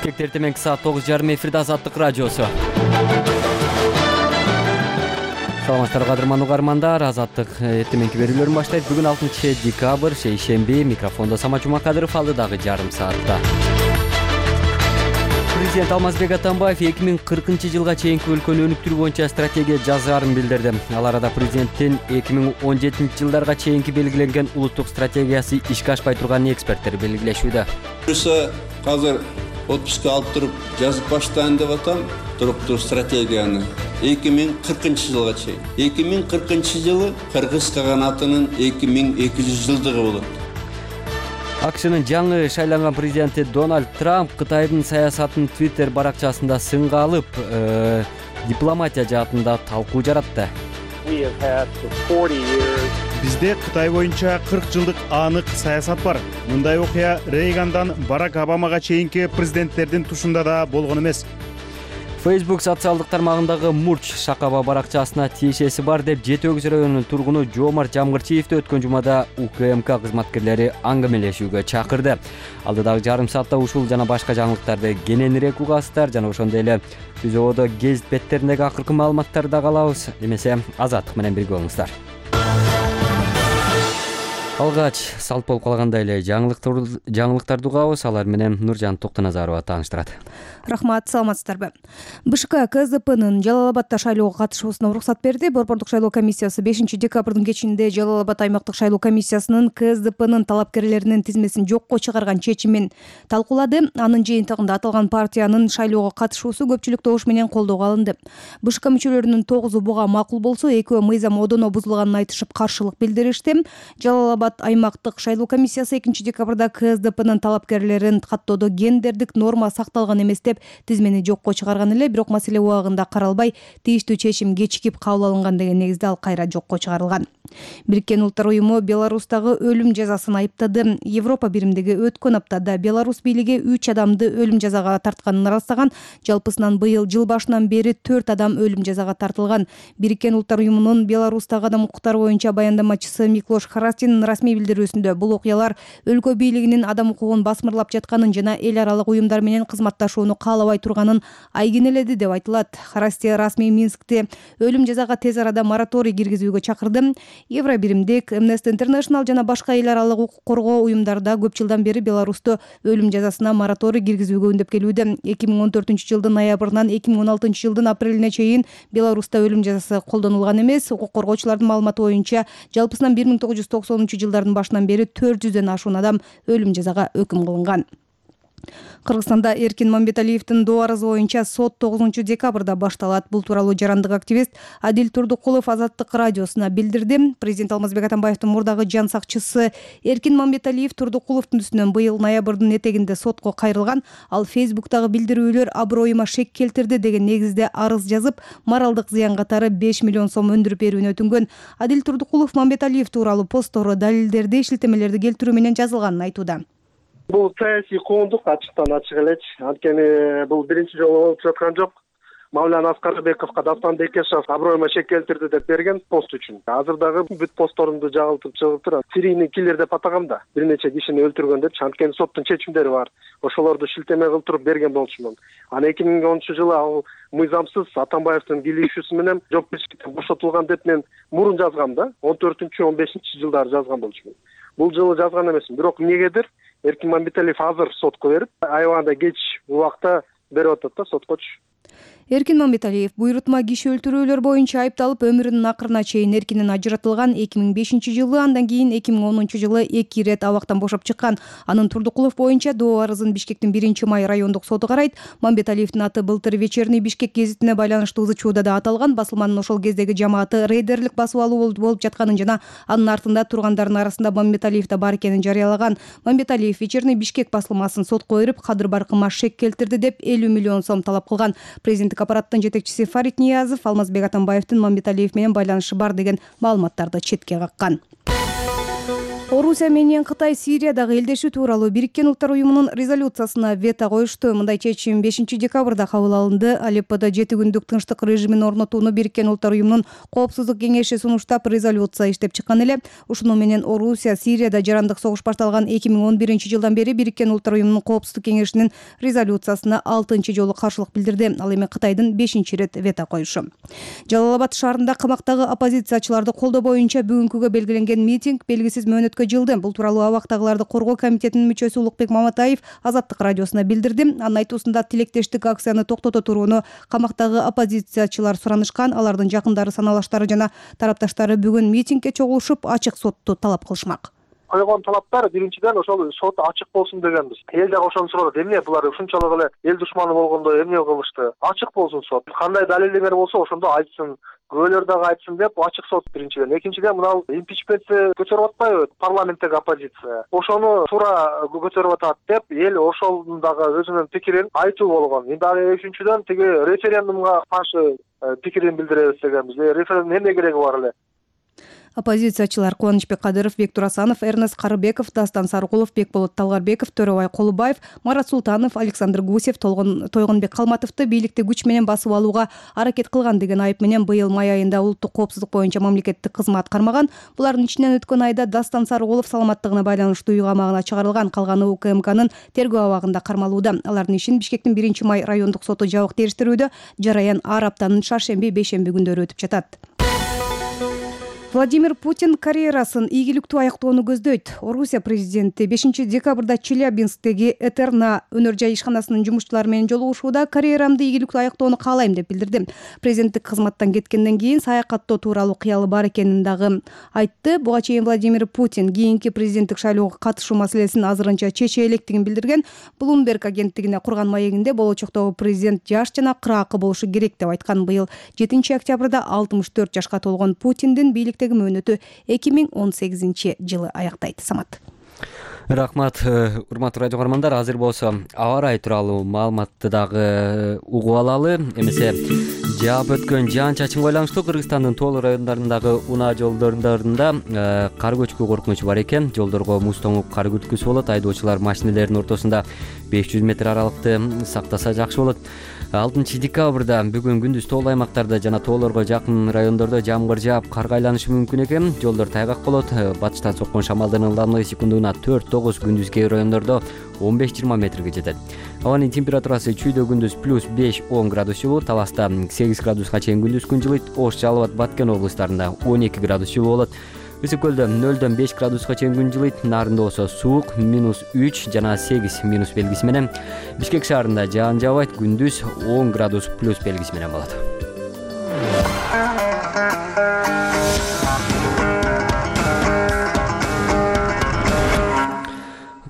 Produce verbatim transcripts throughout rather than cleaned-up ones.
Бишкекте эртең саат тогуз жарым эфирде Азаттык радиосу. Саламатсыздарбы кадырман угармандар, Азаттык эртеңки берүүлөрүн баштайт. Бүгүн алтынчы декабрь, шейшемби. Микрофондо Самат Жумакадыров, алдыдагы жарым саатта. Президент Алмазбек Атамбаев эки миң кыркынчы жылга чейинки өлкөнү өнүктүрүү боюнча стратегия жазаарын билдирди. Ал арада президенттин эки миң он жетинчи жылдарга чейинки белгиленген улуттук стратегиясы ишке ашпай турганын эксперттер белгилешүүдө. Азыр отпуска алып туруп жазып баштайын деп атам туруктуу стратегияны эки миң кыркынчы жылга чейин. эки миң кыркынчы жылы кыргыз каганатынын эки миң эки жүз жылдыгы болот. АКШнын жаңы шайланган президенти Дональд Трамп Кытайдын саясатын Twitter баракчасында сынга алып, э, дипломатия жаатында талкуу жаратты. Бизде Кытай боюнча кырк жылдык анык саясат бар. Мындай окуя Рейгандан Барак Обамага чейинки президенттердин тушунда да болгон эмес. Facebook социалдык тармагындагы Мурч Шакаба баракчасына тиешеси бар деп Жети Өгүз районунун тургуну Жоомарт Жамгырчиевди өткөн жумада УКМК кызматкерлери аңгамелешүүгө чакырды. Алдыдагы жарым саатта ушул жана башка жаңылыктарды кененирээк угасыздар жана ошондой эле түзөдө гезит беттериндеги акыркы маалыматтарды да алабыз. Эмесе Азаттык менен бирге болуңуздар. Алгач салт болуп калгандай эле жаңылыктарды угабыз. Алар менен Нуржан Токтоназарова тааныштырат. Рахмат, саламатсыздарбы. БШК КЗПнын Жалал Абадта шайлоого катышуусуна уруксат берди. Борбордук шайлоо комиссиясы бешинчи декабрдын кечинде Жалал Абад аймактык шайлоо комиссиясынын КЗПнын талапкерлеринин тизмесин жокко чыгарган чечимин талкуулады. Анын жыйынтыгында аталган партиянын шайлоого катышуусу көпчүлүк добуш менен колдоого алынды. БШК мүчөлөрүнүн тогузу буга макул болсо, экөө мыйзам одоно бузулганын айтышып каршылык билдиришти. Жалал Абад аймактык шайлоо комиссиясы экинчи декабрда КСДПнын талапкерлерин каттоодо гендердик норма сакталган эмес деп тизмени жокко чыгарган эле, бирок маселе убагында каралбай, тийиштүү чечим кечикип кабыл алынган деген негизде ал кайра жокко чыгарылган. Бириккен Улуттар уюму Беларустагы өлүм жазасын айыптады. Европа биримдиги өткөн аптада Беларус бийлиги үч адамды өлүм жазага тартканын ырастаган. Жалпысынан быйыл жыл башынан бери төрт адам өлүм жазага тартылган. Бириккен Улуттар уюмунун Беларустагы адам укуктары боюнча баяндамачысы Миклош Харастинин расмий билдирүүсүндө бул окуялар өлкө бийлигинин адам укугун басмырлап жатканын жана эл аралык уюмдар менен кызматташууну каалабай турганын айгинеледи деп айтылат. Харасти расмий Минскте өлүм жазага тез арада мораторий киргизүүгө чакырды. Евро биримдик, Amnesty International жана башка эл аралык укук коргоо уюмдарда көп жылдан бери Беларусьта өлүм жазасына мораторий киргизүүгө үндөп келүүдө. эки миң он төртүнчү жылдын ноябрынан эки миң он алтынчы жылдын апрелине чейин Беларусьта өлүм жазасы колдонулган эмес. Укук коргоочулардын маалыматы боюнча жалпысынан бир миң тогуз жүз токсонунчу жылдардын башынан бери төрт жүздөн ашуун адам өлүм жазага өкүм кылынган. Кыргызстанда Эркин Мамбеталиевдин доо арызы боюнча сот тогузунчу декабрда башталат. Бул тууралуу жарандык активист Адил Турдукулов Азаттык радиосуна билдирди. Президент Алмазбек Атамбаевдин мурдагы жан сакчысы Эркин Мамбеталиев Турдукуловдун үстүнөн быйыл ноябрдын этегинде сотко кайрылган. Ал Facebook'тагы билдирүүлөр аброюма шек келтирди деген негизде арыз жазып, моралдык зыян катары беш миллион сом өндүрүп берүүнү өтүнгөн. Адил Турдукулов Мамбеталиев тууралуу посттору далилдерди, шилтемелерди келтирүү менен жазылганын айтууда. Бул саясий коондук ачыктан ачык элечи. Анткени бул биринчи жолу болуп жаткан жок. Мавлян Аскарбековго Дафтан Бекешев аброюма шек келтирди деп берген пост үчүн. Азыр дагы бүт постторумду жагылтып чыгып турат. Серийный киллер деп атагам да. Бир нече кишини өлтүргөн деп. Анткени соттун чечимдери бар. Ошолорду шилтеме кылтырып берген болчумун. Аны эки миң онунчу жылы ал мыйзамсыз Атамбаевдин кийлигишүүсү менен жоопкерчиликтен бошотулган деп мен мурун жазгам да. он төртүнчү он бешинчи жылдары жазган болчумун. Бул жылы жазган эмесмин. Бирок эмнегедир Эркин Мамбеталиев азыр сотко берип, аябаганда кеч убакта берип атат да соткочу. Эркин Мамбеталиев буйрутма киши өлтүрүүлөр боюнча айыпталып, өмүрүнүн акырына чейин эркинен ажыратылган. эки миң бешинчи жылы, андан кийин эки миң онунчу жылы эки ирет абактан бошоп чыккан. Анын Турдукулов боюнча доо арызын Бишкектин биринчи май райондук соту карайт. Мамбеталиевдин аты былтыр Вечерний Бишкек гезитине байланыштуу ызычууда да аталган. Басылманын ошол кездеги жамааты рейдерлик басып алуу болуп жатканын жана анын артында тургандардын арасында Мамбеталиев да бар экенин жарыялаган. Мамбеталиев Вечерний Бишкек басылмасын сотко берип, кадыр баркыма шек келтирди деп элүү миллион сом талап кылган. Президенттик аппараттын жетекчиси Фарид Ниязов Алмазбек Атамбаевдин Мамбеталиев менен байланышы бар деген маалыматтарды четке каккан. Орусия менен Кытай Сириядагы элдешүү тууралуу Бириккен Улуттар уюмунун резолюциясына вето коюшту. Мындай чечим бешинчи декабрда кабыл алынды. Алепподо жети күндүк тынчтык режимин орнотууну Бириккен Улуттар уюмунун Коопсуздук кеңеши сунуштап, резолюция иштеп чыккан эле. Ушуну менен Орусия Сирияда жарандык согуш башталган эки миң он биринчи жылдан бери Бириккен Улуттар уюмунун Коопсуздук кеңешинин резолюциясына алтынчы жолу каршылык билдирди. Ал эми Кытайдын бешинчи ирет вето коюшу. Жалал-Абад шаарында камактагы оппозициячыларды колдоо боюнча бүгүнкүгө белгиленген митинг белгисиз мөөнөткө жылды. Бул тууралуу абактагыларды коргоо комитетинин мүчөсү Улукбек Маматаев Азаттык радиосуна билдирди. Анын айтуусунда тилектештик акцияны токтото турууну камактагы оппозициячылар суранышкан. Алардын жакындары, саналаштары жана тарапташтары бүгүн митингге чогулушуп, ачык сотту талап кылышмак. Койгон талаптар биринчиден ошол сот ачык болсун дегенбиз. Эл дагы ошону сурады. Эмне булар ушунчалык эле эл душманы болгондо эмне кылышты? Ачык болсун сот. Кандай далилдемер болсо ошондо айтсын. Күбөлөр дагы айтсын деп ачык сот биринчиден. Экинчиден мынау импичментти көтөрүп атпайбы парламенттеги оппозиция. Ошону туура көтөрүп атат деп эл ошонун дагы өзүнүн пикирин айтуу болгон. Эми дагы үчүнчүдөн тиги референдумга каршы пикирин билдиребиз дегенбиз. Референдум эмне кереги бар эле? Оппозициячылар Кубанычбек Кадыров, Бектур Асанов, Эрнест Карыбеков, Дастан Саркулов, Бекболот Талгарбеков, Төрөбай Колубаев, Марат Султанов, Александр Гусев, Тойгонбек Калматовду бийликти күч менен басып алууга аракет кылган деген айып менен быйыл май айында улуттук коопсуздук боюнча мамлекеттик кызмат кармаган. Булардын ичинен өткөн айда Дастан Саркулов саламаттыгына байланыштуу үй камагына чыгарылган, калганы УКМКнын тергөө абагында кармалууда. Алардын ишин Бишкектин биринчи май райондук соту жабык териштирүүдө. Жараян ар аптанын шаршемби, бейшемби күндөрү өтүп жатат. Владимир Путин карьерасын ийгиликтүү аяктоону көздөйт. Орусия президенти бешинчи декабрда Челябинсктеги Этерна өнөр жай ишканасынын жумушчулары менен жолугушууда карьерамды ийгиликтүү аяктоону каалайм деп билдирди. Президенттик кызматтан кеткенден кийин саякаттоо тууралуу кыялы бар экенин дагы айтты. Буга чейин Владимир Путин кийинки президенттик шайлоого катышуу маселесин азырынча чече электигин билдирген. Bloomberg агенттигине курган маегинде болочоктогу президент жаш жана кыраакы болушу керек деп айткан. Быйыл жетинчи октябрда алтымыш төрт жашка толгон Путиндин бийликте мөөнөтү эки миң он сегизинчи жылы аяктайт. Самат. Рахмат, урматтуу радио көрөрмандар. Азыр болсо аба ырайы тууралуу маалыматты дагы угуп алалы. Эмесе жаап өткөн жаан-чачынга байланыштуу Кыргызстандын тоолуу райондорундагы унаа жолдорунда кар көчкү коркунучу бар экен. Жолдорго муз тоңуп кар күрткүсү болот. Айдоочулар машинелердин ортосунда беш жүз метр аралыкты сактаса жакшы болот. алтынчы декабрда бүгүн күндүз тоолуу аймактарда жана тоолорго жакын райондордо жамгыр жаап, карга айланышы мүмкүн экен. Жолдор тайгак болот. Батыштан соккон шамалдын ылдамдыгы секундуна төрт тогуз, күндүз кээ райондордо он беш жыйырма метрге жетет. Абанын температурасы чүйдө күндүз плюс беш он градус жылуу, Таласта сегиз градуска чейин күндүз күн жылыйт. Ош, Жалал Абад, Баткен облустарында он эки градус жылуу болот. Ысык көлдө нөлдөн беш градуска чейин күн жылыйт. Нарында болсо суук минус үч жана сегиз минус белгиси менен. Бишкек шаарында жаан жаабайт, күндүз он градус плюс белгиси менен болот.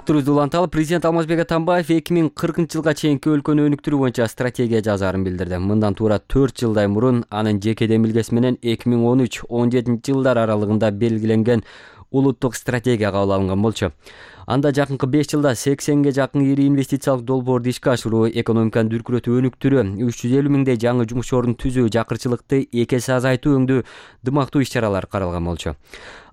Уланталы президент Алмазбек Атамбаев эки миң кыркынчы жылга чейинки өлкөнү өнүктүрүү боюнча стратегия жазаарын билдирди. Мындан туура төрт жылдай мурун анын жеке демилгеси менен эки миң он үч он жетинчи жылдар аралыгында белгиленген улуттук стратегия кабыл алынган болчу. Анда жакынкы беш жылда сексенге жакын ири инвестициялык долбоорду ишке ашыруу, экономиканы дүркүрөтүү, өнүктүрүү, үч жүз элүү миңдей жаңы жумуш ордун түзүү, жакырчылыкты эки эсе азайтуу өңдүү дымактуу иш-чаралар каралган болчу.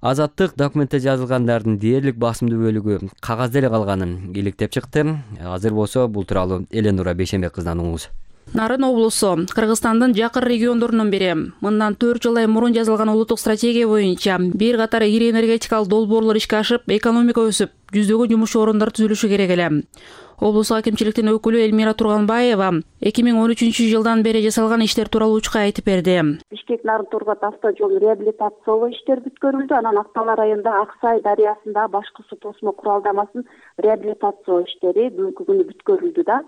Азаттык документте жазылгандардын дээрлик басымдуу бөлүгү кагазда эле калганын иликтеп чыкты. Азыр болсо бул тууралуу Эленура Бейшембек кызынан угуңуз. Нарын облусу Кыргызстандын жакын региондорунун бири. Мындан төрт жылдай мурун жазылган улуттук стратегия боюнча бир катар ири энергетикалык долбоорлор ишке ашып, экономика өсүп, жүздөгөн жумуш орундар түзүлүшү керек эле. Облус акимчиликтин өкүлү Элмира Турганбаева эки миң он үчүнчү жылдан бери жасалган иштер тууралуу учка айтып берди. Бишкек Нарын Тургат автожол реабилитациялоо иштери бүткөрүлдү. Анан Актала районунда Аксай дарыясында башкы суу тосмо куралдамасын реабилитациялоо иштери бүгүнкү күнү бүткөрүлдү да.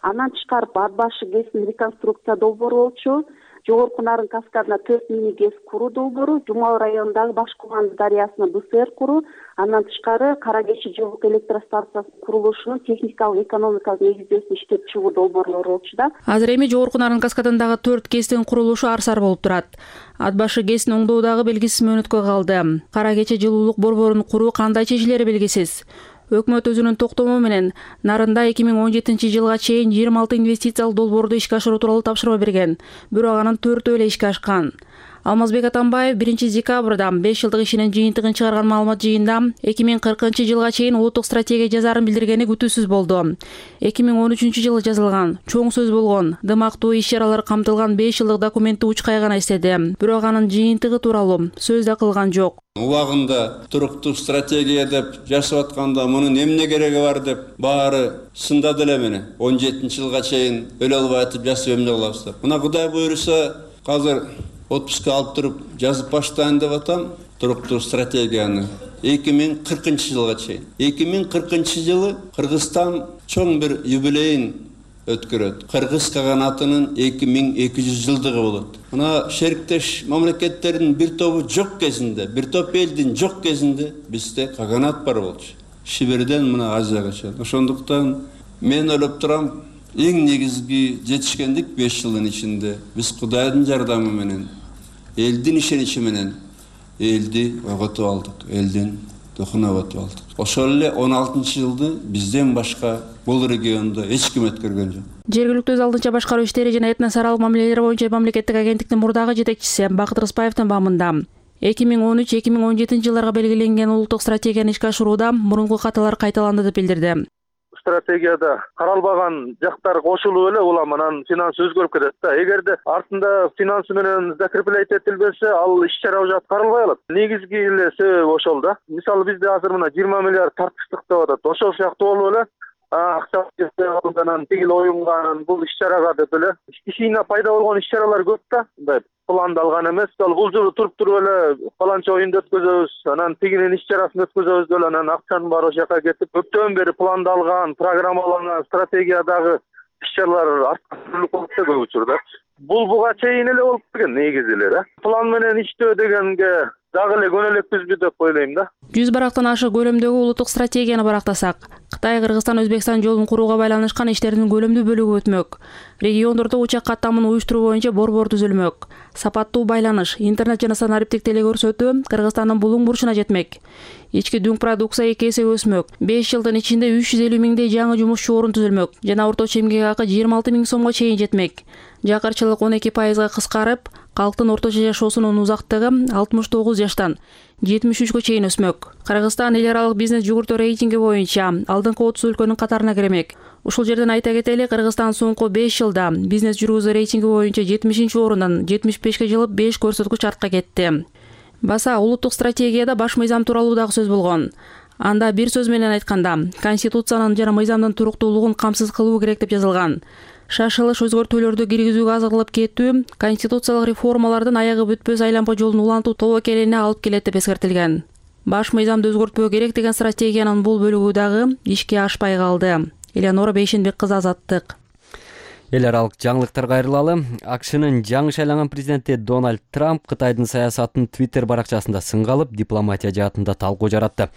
Андан тышкары Ат башы ГЭСин реконструкция долбоору болчу. Жогорку Нарын каскадына төрт мини ГЭС куруу долбоору, Жумал районундагы Башкуланды дарыясына БСР куруу, андан тышкары Кара Кечи жылуулук электростанциясынын курулушунун техникалык экономикалык негиздөөсүн иштеп чыгуу долбоорлору болчу да. Азыр эми Жогорку Нарын каскадындагы төрт ГЭСтин курулушу ар-сар болуп турат. Ат башы ГЭСин оңдоодагы белгисиз мөөнөткө калды. Кара Кечи жылуулук борборун куруу кандай чечилери белгисиз. Өкмөт өзүнүн токтому менен Нарында эки миң он жетинчи жылга чейин жыйырма алты инвестициялык долбоорду ишке ашыруу тууралуу тапшырма берген. Бирок анын төртөө эле ишке ашкан. Алмазбек Атамбаев биринчи декабрда беш жылдык ишинин жыйынтыгын чыгарган маалымат жыйында эки миң кыркынчы жылга чейин улуттук стратегия жазаарын билдиргени күтүүсүз болду. эки миң он үчүнчү жылы жазылган, чоң сөз болгон, дымактуу иш-чаралар камтылган беш жылдык документти учкай гана эстеди. Бирок анын жыйынтыгы тууралуу сөз да кылган жок. Убагында туруктук стратегия деп жашап атканда мунун эмне кереги бар деп баары сындады эле мени. он жетинчи жылга чейин өлө албай атып жасап эмне кылабыз деп. Мына Кудай буйруса азыр отпуска алып туруп жазып баштайын деп атам туруктук стратегияны эки миң кыркынчы жылга чейин. эки миң кыркынчы жылы Кыргызстан чоң бир юбилейин өткөрөт. Кыргыз каганатынын эки миң эки жүз жылдыгы болот. Мына шериктеш мамлекеттердин бир тобу жок кезинде, бир топ элдин жок кезинде бизде каганат бар болчу. Сибирден мына Азияга чейин. Ошондуктан мен ойлоп турам, эң негизги жетишкендик беш жылдын ичинде биз Кудайдын жардамы менен, элдин ишеничи менен элди ойготуп алдык, элдин духун ойготуп алдык. Ошол эле он алтынчы жылды бизден башка бул региондо эч ким өткөргөн жок. Жергиликтүү өз алдынча башкаруу иштери жана этносаралык мамилелер боюнча мамлекеттик агенттиктин мурдагы жетекчиси Бакыт Рыспаевдин баамында эки миң он үч эки миң он жетинчи жылдарга белгиленген улуттук стратегияны ишке ашырууда мурунку каталар кайталанды деп билдирди. Стратегияда каралбаган жактар кошулуп эле улам анан финансы өзгөрүп кетет да. Эгерде артында финансы менен закреплять этилбесе, ал иш-чара уже аткарылбай калат. Негизги эле себеби ошол да. Мисалы бизде азыр мына жыйырма миллиард тартыштык деп атат. Ошол сыяктуу болуп эле акча алгандан тигил оюнга бул иш-чарага деп эле кичине пайда болгон иш-чаралар көп да. Мындай пландалган эмес. Бул жылы туруп туруп эле баланча оюнду өткөзөбүз, анан тигинин иш-чарасын өткөзөбүз деп анан акчанын баары ошол жака кетип, көптөн бери пландалган, программаланган стратегиядагы иш-чаралар арткырылып калат көп учурда. Бул буга чейин эле болуп келген негизи эле да. План менен иштөө дегенге дагы эле көнөлөкпүзбү деп ойлойм да. жүз барактан ашык көлөмдөгү улуттук стратегияны барактасак, Кытай, Кыргызстан, Өзбекстан жолун курууга байланышкан иштердин көлөмдүү бөлүгү өтмөк. Региондордо учак каттамын уюштуруу боюнча борбор түзүлмөк. Сапаттуу байланыш, интернет жана санариптик телекөрсөтүү Кыргызстандын булуң бурчуна жетмек. Ички дүң продукция эки эсе өсмөк. беш жылдын ичинде үч жүз элүү миңдей жаңы жумушчу орун түзүлмөк жана орточо эмгек акы жыйырма алты миң сомго чейин жетмек. Жакырчылык он эки пайызга кыскарып, калктын орточо жашоосунун узактыгы алтымыш тогуз жаштан жетимиш үчкө чейин өсмөк. Кыргызстан эл аралык бизнес жүгүртүү рейтинги боюнча алдыңкы отуз өлкөнүн катарына кирмек. Ушул жерден айта кетели, Кыргызстан соңку беш жылда бизнес жүргүзүү рейтинги боюнча жетимишинчи орундан жетимиш бешке жылып беш көрсөткүч артка кетти. Баса улуттук стратегияда баш мыйзам тууралуу дагы сөз болгон. Анда бир сөз менен айтканда, конституциянын жана мыйзамдын туруктуулугун камсыз кылуу керек деп жазылган. Шашылыш өзгөртүүлөрдү киргизүүгө азырлап кетүү конституциялык реформалардын аягы бүтпөс айлампа жолун улантуу тобокелине алып келет деп эскертилген. Баш мыйзамды өзгөртпөө керек деген стратегиянын бул бөлүгү дагы ишке ашпай калды. Элеонора Бейшенбек кызы, Азаттык. Эл аралык жаңылыктар кайрылалы. АКШнын жаңы шайланган президенти Дональд Трамп Кытайдын саясатын Twitter баракчасында сынга алып, дипломатия жаатында талкуу жаратты.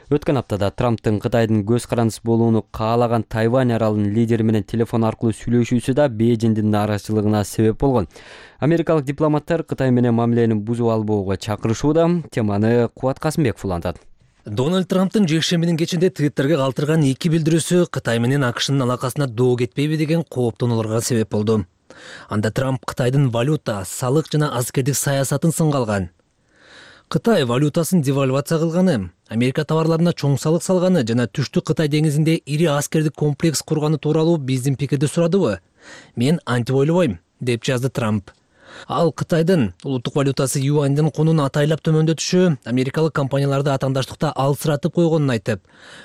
Өткөн аптада Трамптын Кытайдын көз карандысы болууну каалаган Тайвань аралынын лидери менен телефон аркылуу сүйлөшүүсү да Бейжиңдин нааразычылыгына себеп болгон. Америкалык дипломаттар Кытай менен мамилени бузуп албоого чакырышууда. Теманы Кубат Касымбеков улантат. Дональд Трамптын жекшембинин кечинде Твиттерге калтырган эки билдирүүсү Кытай менен АКШнын алакасына доо кетпейби деген кооптонууларга себеп болду. Анда Трамп Кытайдын валюта, салык жана аскердик саясатын сынга алган. Кытай валютасын девальвация кылганы, Америка товарларына чоң салык салганы жана Түштүк Кытай деңизинде ири аскердик комплекс курганы тууралуу биздин пикирди сурадыбы? Мен антип ойлобойм, деп жазды Трамп. Ал Кытайдын улуттук валютасы юаньдын кунун атайлап төмөндөтүшү америкалык компанияларды атаандаштыкта алсыратып койгонун айтып,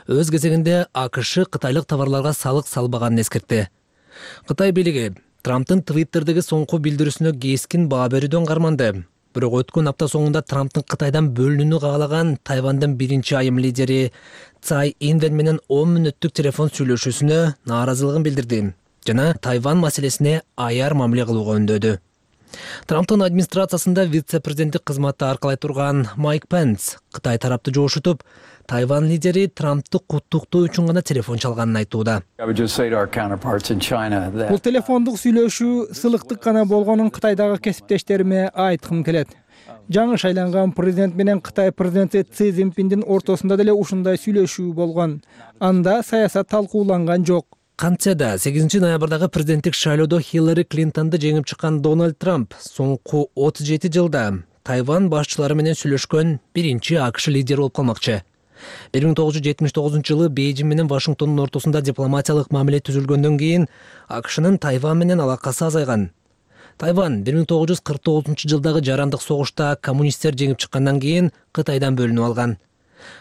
өз кезегинде АКШ кытайлык товарларга салык салбаганын эскертти. Кытай бийлиги Трамптын Твиттердеги соңку билдирүүсүнө кескин баа берүүдөн карманды. Бирок өткөн апта соңунда Трамптын Кытайдан бөлүнүүнү каалаган Тайвандын биринчи айым лидери Цай Инвен менен он мүнөттүк телефон сүйлөшүүсүнө нааразылыгын билдирди жана Тайвань маселесине аяр мамиле кылууга үндөдү. Трамптын администрациясында вице-президенттик кызматты аркалай турган Майк Пенс Кытай тарапты жоошутуп, Тайвань лидери Трамптты куттуктоо үчүн гана телефон чалганын айтууда. Бул телефондук сүйлөшүү сылыктык гана болгонун Кытайдагы кесиптештериме айткым келет. Жаңы шайланган президент менен Кытай президенти Си Цзиньпиндин ортосунда деле ушундай сүйлөшүү болгон. Анда саясат талкууланган жок. Кантса да сегизинчи ноябрдагы президенттик шайлоодо Хиллари Клинтонду жеңип чыккан Дональд Трамп соңку отуз жети жылда Тайвань башчылары менен сүйлөшкөн биринчи АКШ лидери болуп калмакчы. бир миң тогуз жүз жетимиш тогузунчу жылы Бейжиң менен Вашингтондун ортосунда дипломатиялык мамиле түзүлгөндөн кийин АКШнын Тайвань менен алакасы азайган. Тайвань бир миң тогуз жүз кырк тогузунчу жылдагы жарандык согушта коммунисттер жеңип чыккандан кийин Кытайдан бөлүнүп алган.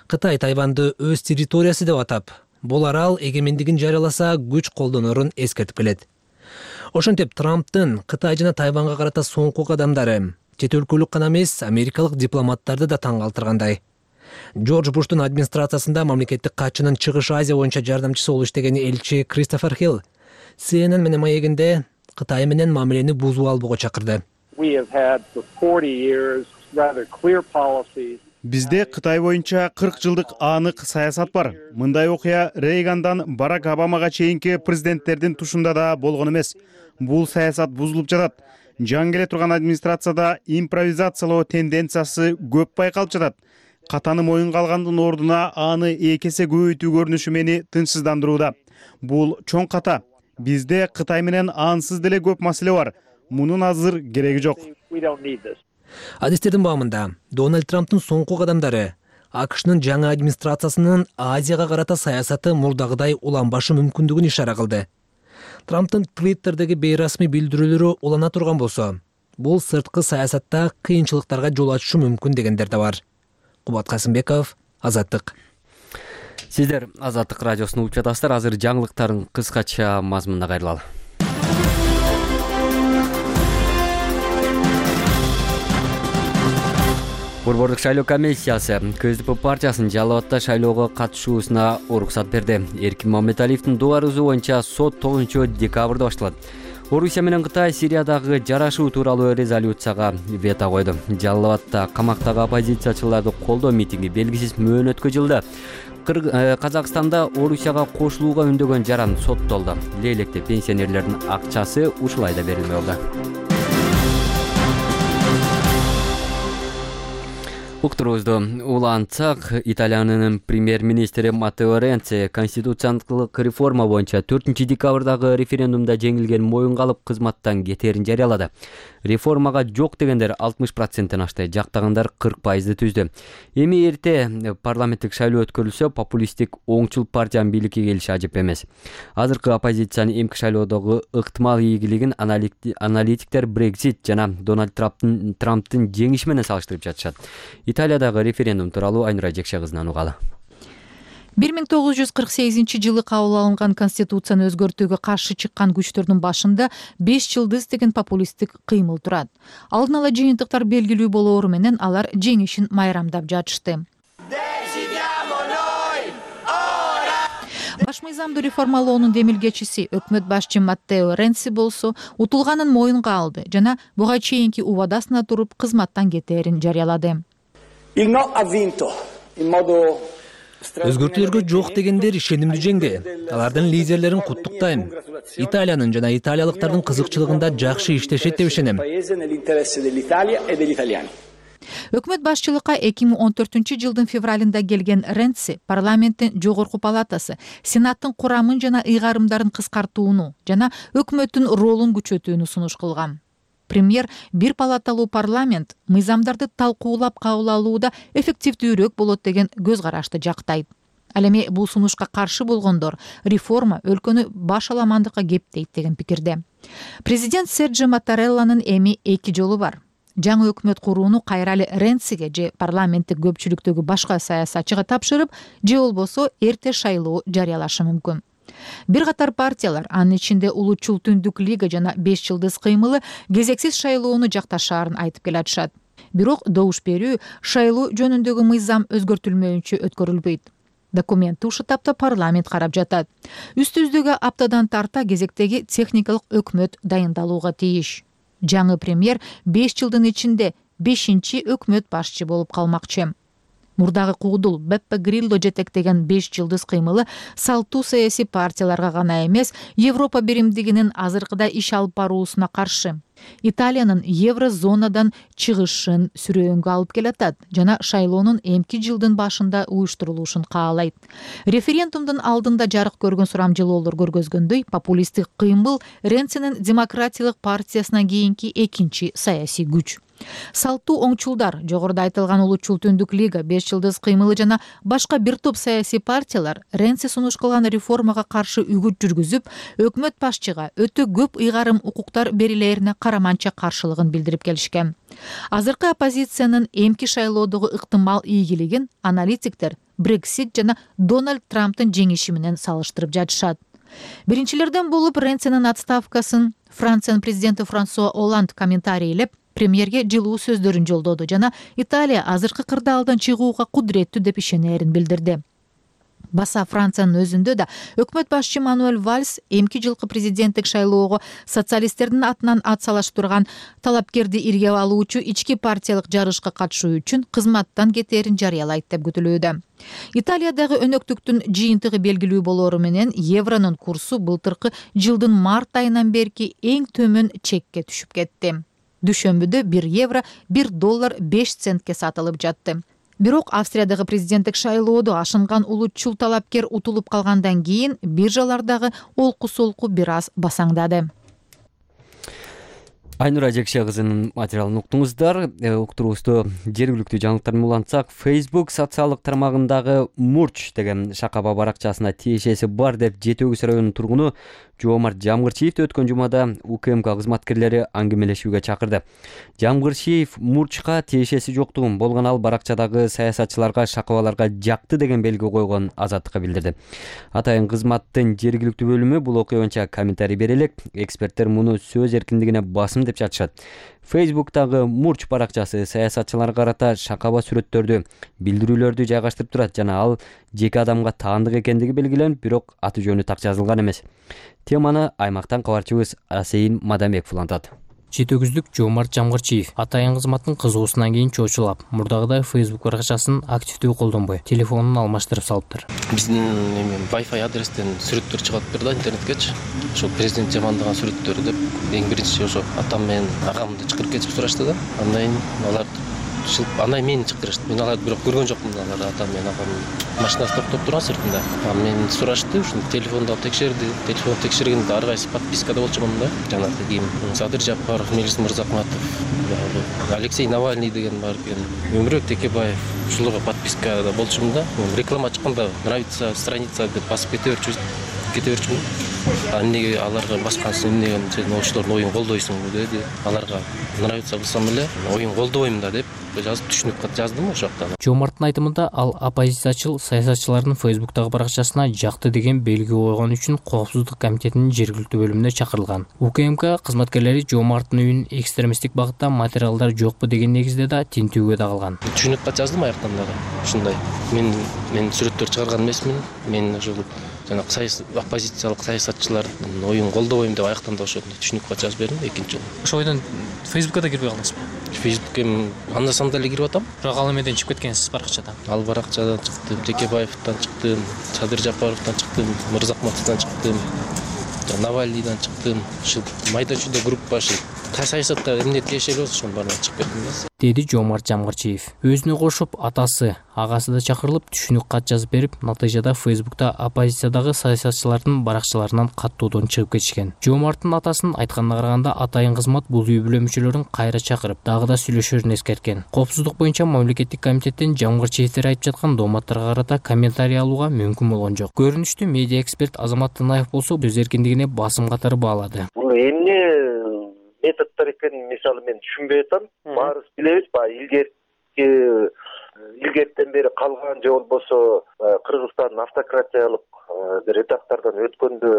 Кытай Тайваньды өз территориясы деп атап, бул арал эгемендигин жарыяласа күч колдонорун эскертип келет. Ошентип Трамптын Кытай жана Тайваньга карата соңку кадамдары чет өлкөлүк гана эмес, америкалык дипломаттарды да таң калтыргандай. Джордж Буштун администрациясында мамлекеттик катчынын Чыгыш Азия боюнча жардамчысы болуп иштеген элчи Кристофер Хилл Си Эн Эн менен маегинде Кытай менен мамилени бузуп албоого чакырды. Бизде Кытай боюнча кырк жылдык анык саясат бар. Мындай окуя Рейгандан Барак Обамага чейинки президенттердин тушунда да болгон эмес. Бул саясат бузулуп жатат. Жаңы келе турган администрацияда импровизациялоо тенденциясы көп байкалып жатат. Катаны моюнга алгандын ордуна аны эки эсе көбөйтүү көрүнүшү мени тынчсыздандырууда. Бул чоң ката. Бизде Кытай менен ансыз деле көп маселе бар. Мунун азыр кереги жок. Адистердин баамында Дональд Трамптын соңку кадамдары АКШнын жаңы администрациясынын Азияга карата саясаты мурдагыдай уланбашы мүмкүндүгүн ишара кылды. Трамптын Твиттердеги бейрасмий билдирүүлөрү улана турган болсо, бул сырткы саясатта кыйынчылыктарга жол ачышы мүмкүн дегендер да бар. Кубат Касымбеков, Азаттык. Сиздер Азаттык радиосун угуп жатасыздар. Азыр жаңылыктардын кыскача мазмунуна кайрылалы. Борбордук шайлоо комиссиясы КСДП партиясынын Жалал Абадта шайлоого катышуусуна уруксат берди. Эркин Маматалиевдин доо арызы боюнча сот тогузунчу декабрда башталат. Орусия менен Кытай Сириядагы жарашуу тууралуу резолюцияга вето койду. Жалал Абадта камактагы оппозициячыларды колдоо митинги белгисиз мөөнөткө жылды. Казакстанда Орусияга кошулууга үндөгөн жаран соттолду. Лейлекте пенсионерлердин акчасы ушулай да берилмей болду. Уктуруубузду улантсак, Италиянын премьер-министри Маттео Ренци конституциялык реформа боюнча төртүнчү декабрдагы референдумда жеңилген моюнга алып кызматтан кетерин жарыялады. Реформага жок дегендер алтымыш проценттен ашты, жактагандар кырк пайызды түздү. Эми эрте парламенттик шайлоо өткөрүлсө, популисттик оңчул партиянын бийликке келиши ажып эмес. Азыркы оппозициянын эмки шайлоодогу ыктымал ийгилигин аналитиктер Брексит жана Дональд Трамптын Трамптын жеңиши менен салыштырып жатышат. Италиядагы референдум тууралуу Айнура Жекше кызынан угалы. бир миң тогуз жүз кырк сегизинчи жылы кабыл алынган конституцияны өзгөртүүгө каршы чыккан күчтөрдүн башында беш жылдыз деген популисттик кыймыл турат. Алдын ала жыйынтыктар белгилүү болоору менен алар жеңишин майрамдап жатышты. Баш мыйзамды реформалоонун демилгечиси өкмөт башчы Маттео Ренци болсо утулганын моюнга алды жана буга чейинки убадасына туруп кызматтан кетерин жарыялады. Өзгөртүүлөргө жок дегендер ишенимдүү жеңди. Алардын лидерлерин куттуктайм. Италиянын жана италиялыктардын кызыкчылыгында жакшы иштешет деп ишенем. Өкмөт башчылыкка эки миң он төртүнчү жылдын февралында келген Ренци парламенттин жогорку палатасы, сенаттын курамын жана ыйгарымдарын кыскартууну жана өкмөттүн ролун күчөтүүнү сунуш кылган. Премьер бир палаталуу парламент мыйзамдарды талкуулап кабыл алууда эффективдүүрөөк болот деген көз карашты жактайт. Ал эми бул сунушка каршы болгондор реформа өлкөнү баш аламандыкка кептейт деген пикирде. Президент Серджио Маттарелланын эми эки жолу бар. Жаңы өкмөт курууну кайра эле Ренциге же парламенттик көпчүлүктөгү башка саясатчыга тапшырып, же болбосо эрте шайлоо жарыялашы мүмкүн. Бир катар партиялар, анын ичинде Улуучул Түндүк Лига жана беш жылдыз кыймылы кезексиз шайлоону жакташаарын айтып келатышат. Бирок добуш берүү шайлоо жөнүндөгү мыйзам өзгөртүлмөйүнчө өткөрүлбөйт. Документти ушул тапта парламент карап жатат. Үстүбүздөгү аптадан тарта кезектеги техникалык өкмөт дайындалууга тийиш. Жаңы премьер беш жылдын ичинде бешинчи өкмөт башчы болуп калмакчы. Мурдагы куудул Беппе Грилло жетектеген беш жылдыз кыймылы салттуу саясий партияларга гана эмес, Европа биримдигинин азыркыда иш алып баруусуна каршы. Италиянын еврозонадан чыгышын сүрөөнгө алып келатат жана шайлоонун эмки жылдын башында уюштурулушун каалайт. Референдумдун алдында жарык көргөн сурамжылоолор көргөзгөндөй, популисттик кыймыл Ренцинин демократиялык партиясынан кийинки экинчи саясий күч. Салттуу оңчулдар, жогоруда айтылган улутчул Түндүк лига, беш жылдыз кыймылы жана башка бир топ саясий партиялар Ренци сунуш кылган реформага каршы үгүт жүргүзүп, өкмөт башчыга өтө көп ыйгарым укуктар берилерине караманча каршылыгын билдирип келишкен. Азыркы оппозициянын эмки шайлоодогу ыктымал ийгилигин аналитиктер Брексит жана Дональд Трамптын жеңиши менен салыштырып жатышат. Биринчилерден болуп Ренцинин отставкасын Франциянын президенти Франсуа Олланд комментарийлеп, премьерге жылуу сөздөрүн жолдоду жана Италия азыркы кырдаалдан чыгууга кудуреттүү деп ишенерин билдирди. Баса Франциянын өзүндө да өкмөт башчы Мануэль Вальс эмки жылкы президенттик шайлоого социалисттердин атынан ат салыштырган талапкерди ирге алуучу ички партиялык жарышка катышуу үчүн кызматтан кетээрин жарыялайт деп күтүлүүдө. Италиядагы өнөктүктүн жыйынтыгы белгилүү болоору менен евронун курсу былтыркы жылдын март айынан берки эң төмөн чекке түшүп кетти. Дүйшөмбүдө бир евро бир доллар беш центке сатылып жатты. Бирок Австриядагы президенттик шайлоодо ашынган улутчул талапкер утулуп калгандан кийин биржалардагы олку-солку бир аз басаңдады. Айнура Ажекше кызынын материалын уктуңуздар. Уктуруубузду жергиликтүү жаңылыктар менен улантсак, Facebook социалдык тармагындагы Мурч деген шакаба баракчасына тиешеси бар деп Жети Өгүз районунун тургуну Жоомарт Жамгырчиевди өткөн жумада УКМК кызматкерлери аңгемелешүүгө чакырды. Жамгырчиев Мурчка тиешеси жоктугун, болгон ал баракчадагы саясатчыларга, шакабаларга жакты деген белги койгон Азаттыкка билдирди. Атайын кызматтын жергиликтүү бөлүмү бул окуя боюнча комментарий бере элек, эксперттер муну сөз эркиндигине басым деп жатышат. Facebook'тагы Мурч баракчасы саясатчыларга карата шакаба сүрөттөрдү, билдирүүлөрдү жайгаштырып турат жана ал жеке адамга таандык экендиги белгиленип, бирок аты жөнү так жазылган эмес. Теманы аймактан кабарчыбыз Асейин Мадамбеков улантат. Жети Өгүздүк Жоомарт Жамгырчиев атайын кызматтын кызуусунан кийин чоочулап, мурдагыдай Facebook баракчасын активдүү колдонбой, телефонун алмаштырып салыптыр. Биздин Wi-Fi адрестен сүрөттөр чыгат турду интернеткечи. Ошо президент жамандаган сүрөттөр деп эң биринчи ошо атам менен агамды чакырып кетип сурашты да. Андан кийин алар андан мени чакырышты. Мен аларды бирок көргөн жокмун, алар атам менен агам машинасы токтоп турган сыртында. Анан мени сурашты, ушуну телефонду алып текшерди. Телефон текшергенде ар кайсы подпискада болчумун да. Жанагы кийин Садыр Жапаров, Мелис Мырзахматов, Алексей Навальный деген бар экен. Өмүрбек Текебаев ушуларга подпискада болчумун да. Реклама чыкканда нравится страница деп басып кете берчүбүз. Кете берчүмүн. Эмнеге аларга баскансың, эмнеге сен ошолордун оюн колдойсуң деди. Аларга нравится кылсам эле оюн колдобойм да деп жазып түшүнүп кат жаздым ошол жакта. Жоомарттын айтымында ал оппозициячыл саясатчылардын Facebook'тагы баракчасына жакты деген белги койгон үчүн Коопсуздук комитетинин жергиликтүү бөлүмүнө чакырылган. УКМК кызматкерлери Жоомарттын үйүн экстремисттик багытта материалдар жокпу деген негизде да тинтүүгө да калган. Түшүнүп кат жаздым аяктан дагы. Ушундай. Мен мен сүрөттөр чыгарган эмесмин. Мен ошол жана оппозициялык саясатчылардын оюн колдобойм деп аяктан да ошондой түшүнүк кат жазып бердим экинчи жолу. Ошол ойдон Facebook'ка да кирбей калдыңызбы? Facebook'ка анда-санда эле кирип атам. Бирок ал эмеден чыгып кеткенсиз баракчадан. Ал баракчадан чыктым, Текебаевден чыктым, Садыр Жапаровдон чыктым, Мырзахматовдон чыктым, Навальныйдан чыктым. Ушул майда чүйдө группа ушул саясатта эмне тиешелүү болсо ошонун баарынан чыгып кеттим. Деди Жоомарт Жамгырчиев. Өзүнө кошуп атасы, агасы да чакырылып түшүнүк кат жазып берип, натыйжада Facebook'та оппозициядагы саясатчылардын баракчаларынан каттоодон чыгып кетишкен. Жоомарттын атасынын айтканына караганда атайын кызмат бул үй бүлө мүчөлөрүн кайра чакырып, дагы да сүйлөшөрүн эскерткен. Коопсуздук боюнча мамлекеттик комитеттен Жамгырчиевдер айтып жаткан дооматтарга карата комментарий алууга мүмкүн болгон жок. Көрүнүштүү медиа эксперт Азамат Тынаев болсо сөз эркиндигине басым катары баалады. Бул эмне методдор экенин мисалы мен түшүнбөй атам. Баарыбыз билебиз, баягы илгерки илгертен бери калган же болбосо Кыргызстандын автократиялык бир этаптардан өткөндө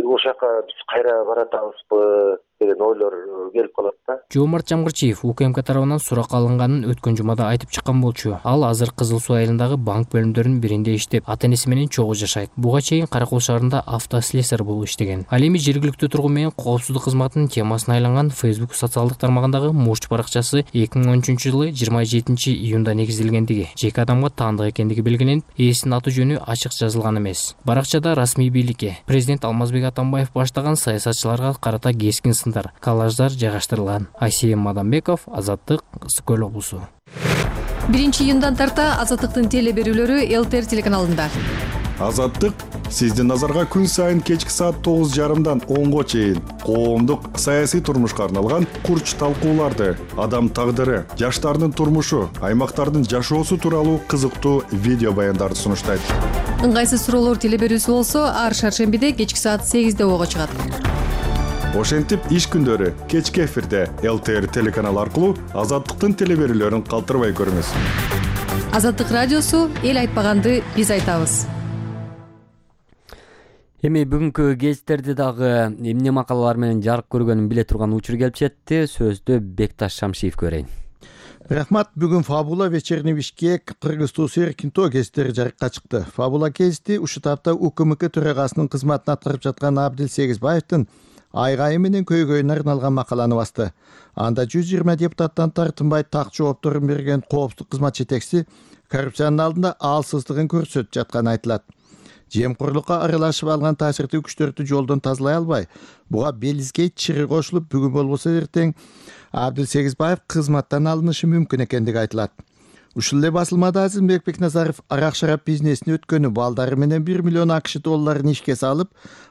ошол жака биз кайра баратабызбы деген ойлор келип калат да. Жоомарт Жамгырчиев УКМК тарабынан сурак алынганын өткөн жумада айтып чыккан болчу. Ал азыр Кызыл Суу айылындагы банк бөлүмдөрүнүн биринде иштеп, ата-энеси менен чогуу жашайт. Буга чейин Каракол шаарында автослесарь болуп иштеген. Ал эми жергиликтүү тургун менен коопсуздук кызматынын темасына айланган Facebook социалдык тармагындагы Мурч баракчасы эки миң он үчүнчү жылы жыйырма жетинчи июнда негизделгендиги, жеке адамга таандык экендиги белгиленип, ээсинин аты жөнү ачык жазылган эмес. Баракчада расмий бийликке президент Алмазбек Атамбаев баштаган саясатчыларга карата кескин расымдар, коллаждар жайгаштырылган. Айсейим Мадамбеков, Азаттык, Ысык Көл облусу. биринчи июндан тарта Азаттыктын теле берүүлөрү ЛТР телеканалында. Азаттык сиздин назарга күн сайын кечки саат тогуз жарымдан онго чейин коомдук саясий турмушка арналган курч талкууларды, адам тагдыры, жаштардын турмушу, аймактардын жашоосу тууралуу кызыктуу видео баяндарды сунуштайт. Ыңгайсыз суроолор теле берүүсү болсо, ар шаршембиде кечки саат сегизде ого чыгат. Ошентип иш күндөрү кечки эфирде ЛТР телеканалы аркылуу Азаттыктын теле берүүлөрүн калтырбай көрүңүз. Азаттык радиосу эл айтпаганды биз айтабыз. Эми бүгүнкү гезиттерди дагы эмне макалалар менен жарык көргөнүн биле турган учур келип жетти. Сөздү Бекташ Шамшиев көрөйүн. Рахмат. Бүгүн Фабула, Вечерний Бишкек, Кыргыз туусу Эркинто гезиттери жарыкка чыкты. Фабула гезити ушул тапта УКМК төрагасынын кызматын аткарып жаткан Абдил Сегизбаевдин айгайы менен көйгөйүнө арналган макаланы басты. Анда жүз жыйырма депутаттан тартынбай так жоопторун берген коопсуздук кызмат жетекчиси коррупциянын алдында алсыздыгын көрсөтүп жатканы айтылат. Жемкорлукка аралашып алган таасирдүү күчтөрдү жолдон тазалай албай, буга белизге чыры кошулуп, бүгүн болбосо эртең Абдил Сегизбаев кызматтан алынышы мүмкүн экендиги айтылат. Ушул эле басылмада Азимбек Бекназаров арак-шарап бизнесине өткөнү, балдары менен бир миллион АКШ долларын ишке салып,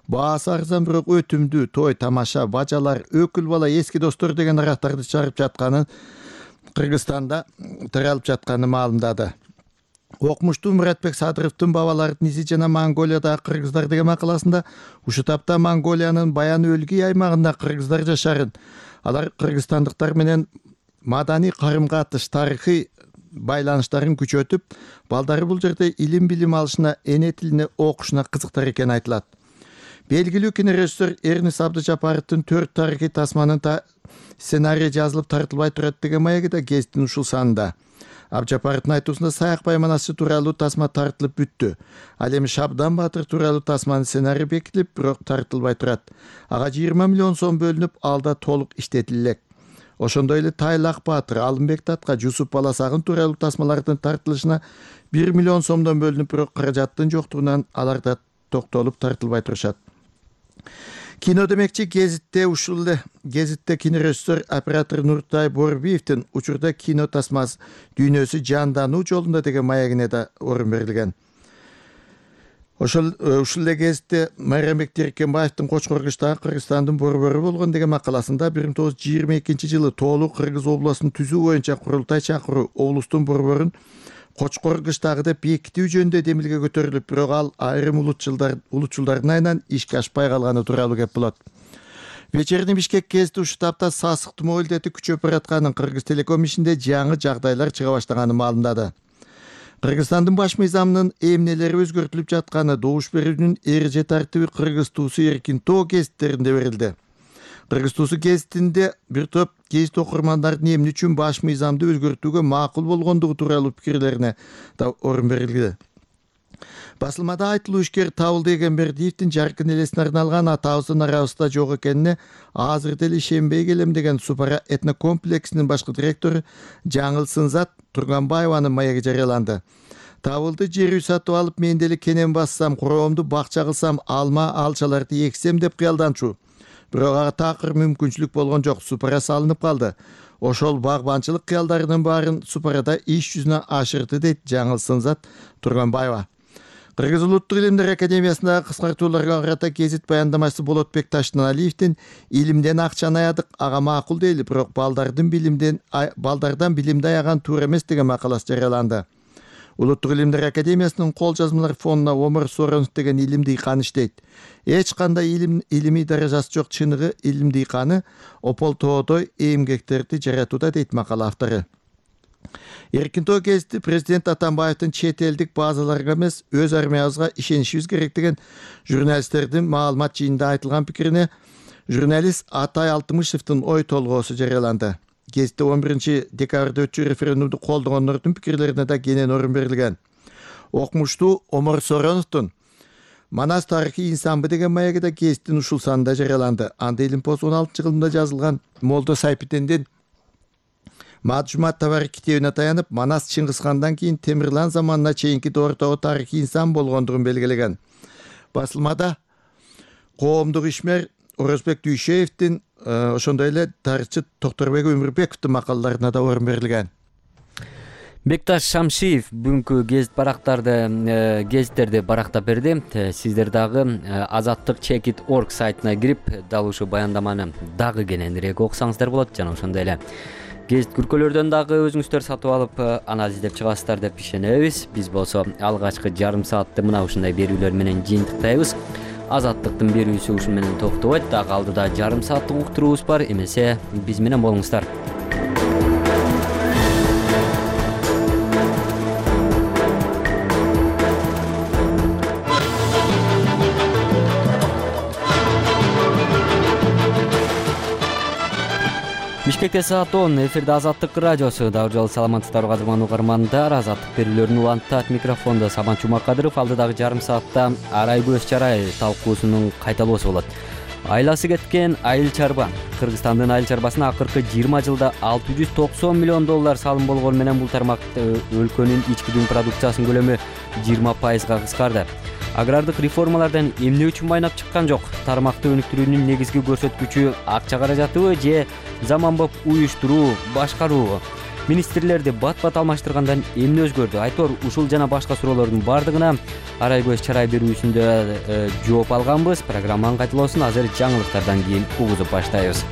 баасы арзан бирок өтүмдүү той, тамаша, бажалар, өкүл бала, эски достор деген арактарды чыгарып жатканын, Кыргызстанда таралып жатканын маалымдады. Окумуштуу Муратбек Садыровдун бабалардын изи жана Монголиядагы кыргыздар деген макаласында ушул тапта Монголиянын Баян өлгий аймагында кыргыздар жашарын, алар кыргызстандыктар менен маданий карым-катыш, тарыхый байланыштарын күчөтүп, балдары бул жерде илим билим алышына, эне тилине окушуна кызыктар экени айтылат. Белгилүү кинорежиссер Эрнис Абдыжапаровдун төрт тарыхый тасманын та сценарий жазылып тартылбай турат деген маеги да гезиттин ушул санында. Абдыжапаровдун айтуусунда Саякбай манасы тууралуу тасма тартылып бүттү. Ал эми Шабдан Батыр тууралуу тасманын сценарий бекитилип, бирок тартылбай турат. Ага жыйырма миллион сом бөлүнүп, алда толук иштетилет. Ошондой эле Тайлак Батыр, Алымбек Татка, Жусуп Баласагын тууралуу тасмалардын тартылышына бир миллион сомдон бөлүнүп, бирок каражаттын жоктугунан алар да токтолуп тартылбай турушат. Кино демекчи гезитте ушул эле гезитте кинорежиссер оператор Нуртай Борбиевдин учурда кино тасмасы дүйнөсү жандануу жолунда деген маегине да орун берилген. Ошол ушул эле гезитте Майрамбек Теркенбаевдин Кочкоркуштагы Кыргызстандын борбору болгон деген макаласында бир миң тогуз жүз жыйырма экинчи жылы тоолуу Кыргыз областын түзүү боюнча курултай чакыруу облустун борборун Кочкоркуштагы деп бекитүү жөнүндө демилге көтөрүлүп, бирок ал айрым улутчулдар улутчулдардын айынан ишке ашпай калганы тууралуу кеп болот. Вечерний Бишкек гезити ушул тапта сасык тумоо илдети күчөп баратканын, Кыргыз Телеком ишинде жаңы жагдайлар чыга баштаганын маалымдады. Кыргызстандын баш мыйзамынын эмнелери өзгөртүлүп жатканы, добуш берүүнүн эреже тартиби Кыргыз туусу Эркинто гезиттеринде берилди. Кыргыз туусу гезитинде бир топ гезит окурмандардын эмне үчүн баш мыйзамды өзгөртүүгө макул болгондугу тууралуу пикирлерине да орун берилди. Басылмада айтылуу ишкер Табылды Эгембердиевдин жаркын элесине арналган атабыздын арабызда жок экенине азыр деле ишенбей келем деген Супара этнокомплексинин башкы директору Жаңыл Сынзат Турганбаеванын маеги жарыяланды. Табылды жер үй сатып алып, мен деле кенен бассам, куроомду бакча кылсам, алма алчаларды эксем деп кыялданчу. Бирок ага такыр мүмкүнчүлүк болгон жок, Супара салынып калды. Ошол багбанчылык кыялдарынын баарын Супарада иш жүзүнө ашырды, дейт Жаңыл Сынзат Турганбаева. Кыргыз Улуттук илимдер академиясындагы кыскартууларга карата гезит баяндамачысы Болотбек Таштаналиевдин илимден акчаны аядык, ага макул дейли, бирок балдардын билимден балдардан билимди аяган туура эмес деген макаласы жарыяланды. Улуттук илимдер академиясынын кол жазмалар фонуна Омар Соронов деген илим дыйканы иштейт. Эч кандай илим илимий даражасы жок чыныгы илим дыйканы ополтоодой эмгектерди жаратууда, дейт макала автору. Эркинто гезити президент Атамбаевдин чет элдик базаларга эмес, өз армиябызга ишенишибиз керек деген журналисттердин маалымат жыйынында айтылган пикирине журналист Атай Алтымышевдин ой толгоосу жарыяланды. Гезитте он биринчи декабрда өтчү референдумду колдогондордун пикирлерине да кенен орун берилген. Окумуштуу Омар Сороновдун Манас тарыхый инсанбы деген маеги да гезиттин ушул санында жарыяланды. Анда Илимпоз он алтынчы жылында жазылган Молдо Сайпитендин Маджумат табары китебине таянып, Манас Чыңгызхандан кийин Темирлан заманына чейинки доордогу тарыхый инсан болгондугун белгилеген. Басылмада коомдук ишмер Орозбек Дүйшеевдин ошондой эле тарыхчы Токторбек Өмүрбековдун макалаларына да орун берилген. Бекташ Шамшиев бүгүнкү гезит барактарды гезиттерди барактап берди. Сиздер дагы азаттык чек точка орг сайтына кирип дал ушул баяндаманы дагы кененирээк окусаңыздар болот. Жана ошондой эле гезит күркөлөрдөн дагы өзүңүздөр сатып алып анализ издеп чыгасыздар деп ишенебиз. Биз болсо алгачкы жарым саатты мына ушундай берүүлөр менен жыйынтыктайбыз. Азаттыктын берүүсү ушун менен токтобойт. Дагы алдыда жарым сааттык уктуруубуз бар. Эмесе биз менен болуңуздар. Бишкекте саат он, эфирде Азаттык радиосу. Дагы жолу саламатсыздарбы кадырман угармандар. Азаттык берүүлөрүн улантат микрофондо Сабан Чумакадыров. Алдыдагы жарым саатта Арай көз чарай талкуусунун кайталоосу болот. Айласы кеткен айыл чарба. Кыргызстандын айыл чарбасына акыркы жыйырма жылда алты жүз токсон миллион доллар салым болгону менен бул тармак өлкөнүн ички дүң продукциясынын көлөмү жыйырма пайызга кыскарды. Агрардык реформалардан эмне үчүн байнап чыккан жок? Тармакты өнүктүрүүнүн негизги көрсөткүчү акча каражатыбы же заманбап уюштуруу, башкаруубу? Министрлерди бат-бат алмаштыргандан эмне өзгөрдү? Айтор ушул жана башка суроолордун бардыгына Арай көз чарай берүүсүндө жооп алганбыз. Программанын кайталоосун азыр жаңылыктардан кийин угузуп баштайбыз.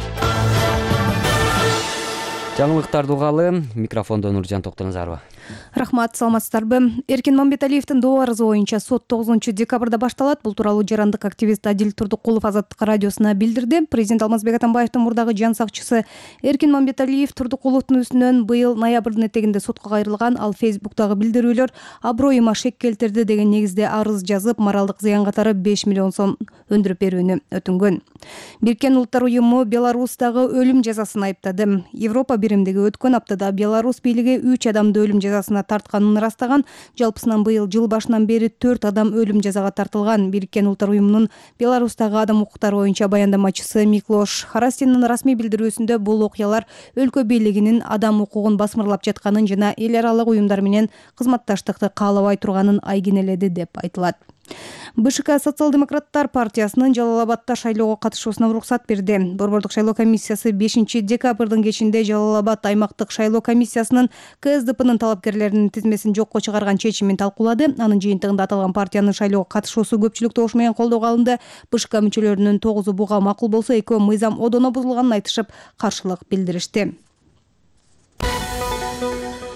Жаңылыктарды угалы. Микрофондо Нуржан Токтоназарова. Рахмат, саламатсыздарбы? Эркин Мамбеталиевдин доо арызы боюнча сот тогузунчу декабрда башталат. Бул тууралуу жарандык активист Адил Турдукулов Азаттык радиосуна билдирди. Президент Алмазбек Атамбаевдин мурдагы жан сакчысы Эркин Мамбеталиев Турдукуловдун үстүнөн быйыл ноябрдын этегинде сотко кайрылган. Ал Фейсбуктагы билдирүүлөр аброюма шек келтирди деген негизде арыз жазып, моралдык зыян катары беш миллион сом өндүрүп берүүнү өтүнгөн. Бириккен Улуттар уюму Беларустагы өлүм жазасын айыптады. Европа биримдиги өткөн аптада Беларусь бийлиги үч адамды өлүм жазасына тартканын ырастаган. Жалпысынан быйыл жыл башынан бери төрт адам өлүм жазага тартылган. Бириккен Улуттар уюмунун Беларустагы адам укуктары боюнча баяндамачысы Миклош Харастиндин расмий билдирүүсүндө бул окуялар өлкө бийлигинин адам укугун басмырлап жатканын жана эл аралык уюмдар менен кызматташтыкты каалабай турганын айгинеледи деп айтылат. БШК Социал-демократтар партиясынын Жалал Абадда шайлоого катышуусуна уруксат берди. Борбордук шайлоо комиссиясы бешинчи декабрдын кечинде Жалал Абад аймактык шайлоо комиссиясынын КСДПнын талапкерлеринин тизмесин жокко чыгарган чечимин талкуулады. Анын жыйынтыгында аталган партиянын шайлоого катышуусу көпчүлүк добуш менен колдоого алынды. БШК мүчөлөрүнүн тогузу буга макул болсо, экөө мыйзам одоно бузулганын айтышып, каршылык билдиришти.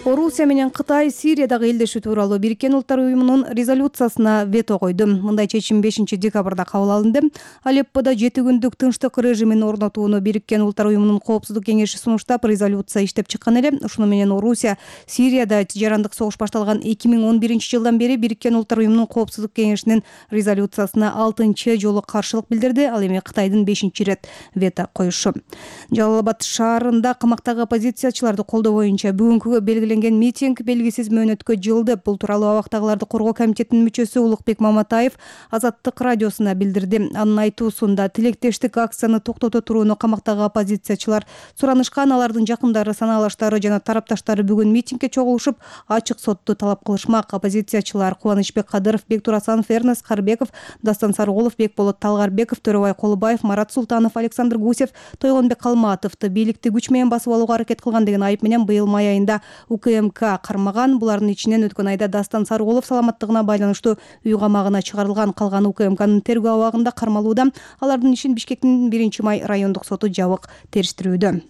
Орусия менен Кытай Сириядагы элдешүү тууралуу Бириккен Улуттар уюмунун резолюциясына вето койду. Мындай чечим бешинчи декабрда кабыл алынды. Алепподо жети күндүк тынчтык режимин орнотууну Бириккен Улуттар уюмунун коопсуздук кеңеши сунуштап, резолюция иштеп чыккан эле. Ушуну менен Орусия Сирияда жарандык согуш башталган эки миң он биринчи жылдан бери Бириккен Улуттар уюмунун коопсуздук кеңешинин резолюциясына алтынчы жолу каршылык билдирди. Ал эми Кытайдын бешинчи ирет вето коюшу. Жалал Абад шаарында камактагы оппозициячыларды колдоо боюнча бүгүнкүгө белгиленген митинг белгисиз мөөнөткө жылды. Бул тууралуу абактагыларды коргоо комитетинин мүчөсү Улукбек Маматаев Азаттык радиосуна билдирди. Анын айтуусунда тилектештик акцияны токтото турууну камактагы оппозициячылар суранышкан. Алардын жакындары, санаалаштары жана тарапташтары бүгүн митингге чогулушуп, ачык сотту талап кылышмак. Оппозициячылар Кубанычбек Кадыров, Бектур Асанов, Эрнест Карбеков, Дастан Сарыгулов, Бекболот Талгарбеков, Төрөбай Колубаев, Марат Султанов, Александр Гусев, Тойгонбек Калматовду бийликти күч менен басып алууга аракет кылган деген айып менен быйыл май айында УКМК кармаган. Булардын ичинен өткөн айда Дастан Сарыгулов саламаттыгына байланыштуу үй камагына чыгарылган. Калган УКМКнын тергөө абагында кармалууда. Алардын ишин Бишкектин биринчи май райондук соту жабык териштирүүдө.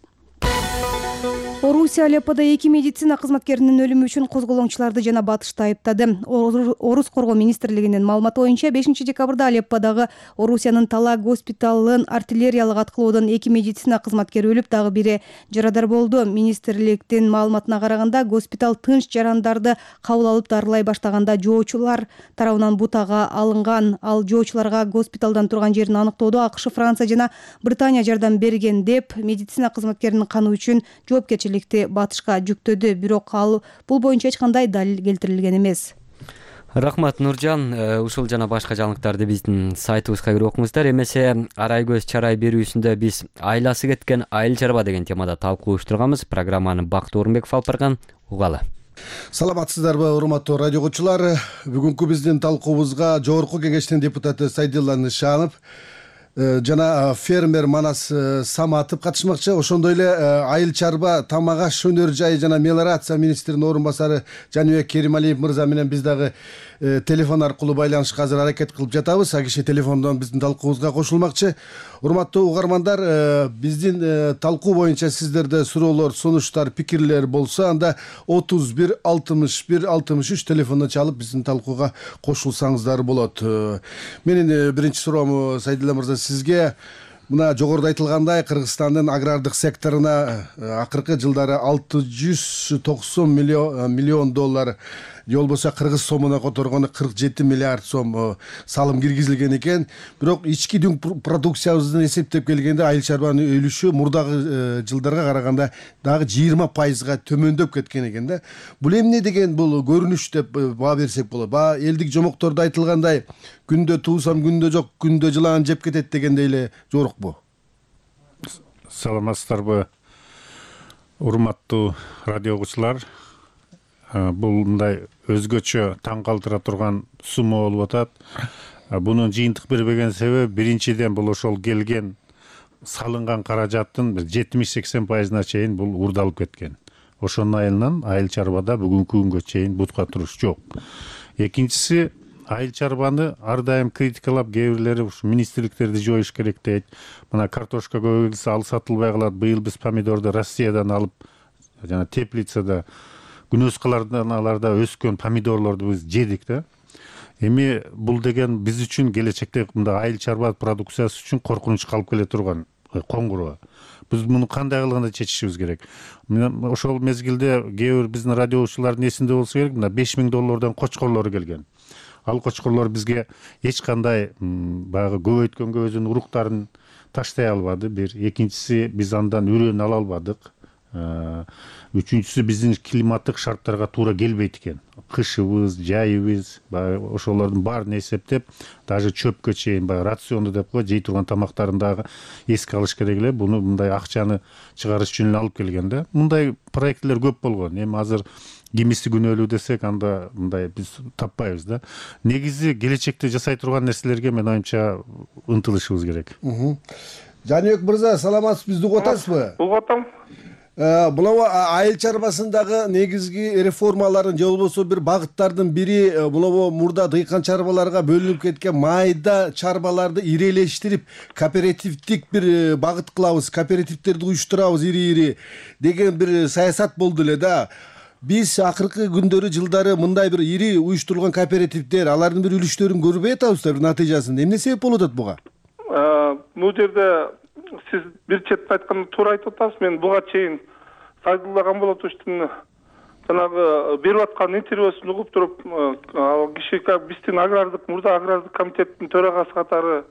Орусия Алепподо эки медицина кызматкеринин өлүмү үчүн козголоңчуларды жана батышты айыптады. Орус коргоо министрлигинин маалыматы боюнча бешинчи декабрда Алепподогу Орусиянын Тала госпиталын артиллериялык аткылоодон эки медицина кызматкери өлүп, дагы бири жарадар болду. Министрликтин маалыматына караганда, госпиталь тынч жарандарды кабыл алып дарылай баштаганда жоочулар тарабынан бутага алынган. Ал жоочуларга госпиталдан турган жерин аныктоодо АКШ, Франция жана Британия жардам берген деп медицина кызматкеринин каны үчүн жоопкерчиликти батышка жүктөдү. Бирок ал бул боюнча эч кандай далил келтирилген эмес. Рахмат, Нуржан. Ушул жана башка жаңылыктарды биздин сайтыбызга кирип окуңуздар. Эмесе Арай көз чарай берүүсүндө биз айласы кеткен айыл чарба деген темада талкуу уюштурганбыз. Программаны Бакыт Орунбеков алып барган. Угалы. Саламатсыздарбы, урматтуу радио угуучулар. Бүгүнкү биздин талкуубузга Жогорку Кеңештин депутаты Сайдилла Нышанов жана фермер Манас Саматов катышмакчы. Ошондой эле айыл чарба, тамак аш өнөр жайы жана мелиорация министринин орун басары Жаныбек Керималиев мырза менен биз дагы телефон аркылуу байланышка азыр аракет кылып жатабыз. А киши телефондон биздин талкуубузга кошулмакчы. Урматтуу угармандар, биздин талкуу боюнча сиздерде суроолор, сунуштар, пикирлер болсо, анда отуз бир алтымыш бир алтымыш үч телефондон чалып биздин талкууга кошулсаңыздар болот. Менин биринчи суроом Сайдулла мырза сизге. Мына жогоруда айтылгандай, Кыргызстандын агрардык секторуна акыркы жылдары алты жүз токсон миллион доллар, же болбосо кыргыз сомуна которгону кырк жети миллиард сом салым киргизилген экен. Бирок ички дүң продукциябызды эсептеп келгенде айыл чарбанын өлүшү мурдагы жылдарга караганда дагы жыйырма пайызга төмөндөп кеткен экен да. Бул эмне деген бул көрүнүш деп баа берсек болот. Баа элдик жомоктордо айтылгандай, күндө туусам күндө жок, күндө жылан жеп кетет дегендей эле жорукпу? Саламатсыздарбы, урматтуу радио угуучулар. Бул мындай өзгөчө таң калтыра турган сумма болуп атат. Бунун жыйынтык бербеген себеби биринчиден бул ошол келген салынган каражаттын бир жетимиш сексен пайызына чейин бул урдалып кеткен. Ошонун айынан айыл чарбада бүгүнкү күнгө чейин бутка туруш жок. Экинчиси, айыл чарбаны ар дайым критикалап, кээ бирлери ушу министрликтерди жоюш керек дейт. Мына картошка көбөйтүлсө ал сатылбай калат. Быйыл биз помидорду Россиядан алып, жана теплицада күнөз каларда өскөн помидорлорду биз жедик да. Эми бул деген биз үчүн келечекте мындай айыл чарба продукциясы үчүн коркунучка алып келе турган коңгуроо. Биз муну кандай кылганда чечишибиз керек. Ошол мезгилде кээ бир биздин радиочулардын эсинде болсо керек, мына беш миң доллардан кочкорлор келген. Ал кочкорлор бизге эч кандай баягы көбөйткөнгө өзүнүн уруктарын таштай албады. Бир, экинчиси, биз андан үрөн ала албадык. Үчүнчүсү, биздин климаттык шарттарга туура келбейт экен. Кышыбыз, жайыбыз, баягы ошолордун баарын эсептеп, даже чөпкө чейин баягы рационду деп кой, жей турган тамактарын дагы эске алыш керек эле. Буну мындай акчаны чыгарыш үчүн алып келген да. Мындай проектлер көп болгон. Эми азыр кимиси күнөөлүү десек, анда мындай биз таппайбыз да. Негизи келечекте жасай турган нерселерге мен оюмча ынтылышыбыз керек. Жаныбек мырза, саламатсыз, бизди угуп атасызбы? Угуп атам. Булабы айыл чарбасындагы негизги реформалардын же болбосо бир багыттардын бири булабы мурда дыйкан чарбаларга бөлүнүп кеткен майда чарбаларды ирелештирип, кооперативдик бир багыт кылабыз, кооперативдерди уюштурабыз ири-ири деген бир саясат болду эле да. Биз акыркы күндөрү, жылдары мындай бир ири уюштурулган кооперативдер, алардын бир үлүштөрүн көрбөй атабызбы, бир натыйжасын? Эмне себеп болуп атат буга? Бул жерде сиз бир чети айтканда туура айтып атасыз. Мен буга чейин Сайдулла Гамболотовичтин жанагы берип аткан интервьюсун угуп туруп, ал киши биздин агрардык, мурда агрардык комитеттин төрагасы катары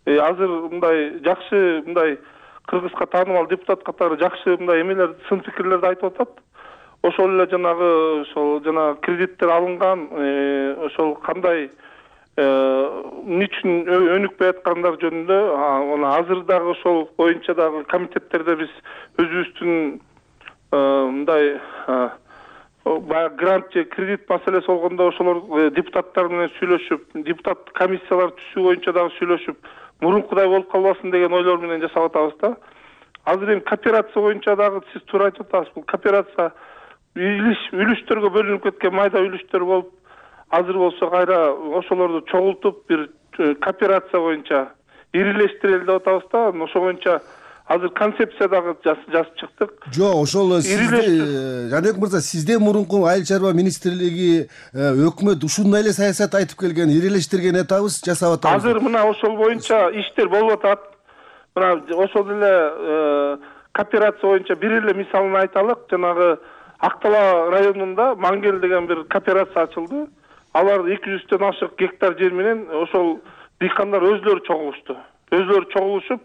азыр мындай жакшы, мындай кыргызга таанымал депутат катары жакшы мындай эмелер, сын пикирлерди айтып атат. Ошол эле жанагы ошол жана кредиттер алынган, ошол кандай эмне үчүн өнүкпөй аткандар жөнүндө, азыр дагы ошол боюнча дагы комитеттерде биз өзүбүздүн мындай баягы грант же кредит маселеси болгондо ошолор депутаттар менен сүйлөшүп, депутат комиссиялар түзүү боюнча дагы сүйлөшүп, мурункудай болуп калбасын деген ойлор менен жасап атабыз да. Азыр эми кооперация боюнча дагы сиз туура айтып атасыз. Бул кооперация үлүштөргө бөлүнүп кеткен майда үлүштөр болуп, азыр болсо кайра ошолорду чогултуп бир кооперация боюнча ирилештирели деп атабыз да. Ошо боюнча азыр концепция дагы жазып чыктык. Жок, ошол сизде, Жаныбек мырза, сизде мурунку айыл чарба министрлиги, өкмөт ушундай эле саясат айтып келген, ирилештирген атабыз, жасап атабыз. Азыр мына ошол боюнча иштер болуп атат. Мына ошол эле кооперация боюнча бир эле мисалын айталык. Жанагы Актала районунда Мангел деген бир кооперация ачылды. Алар эки жүздөн ашык гектар жер менен ошол дыйкандар өзлөрү чогулушту. Өзлөрү чогулушуп,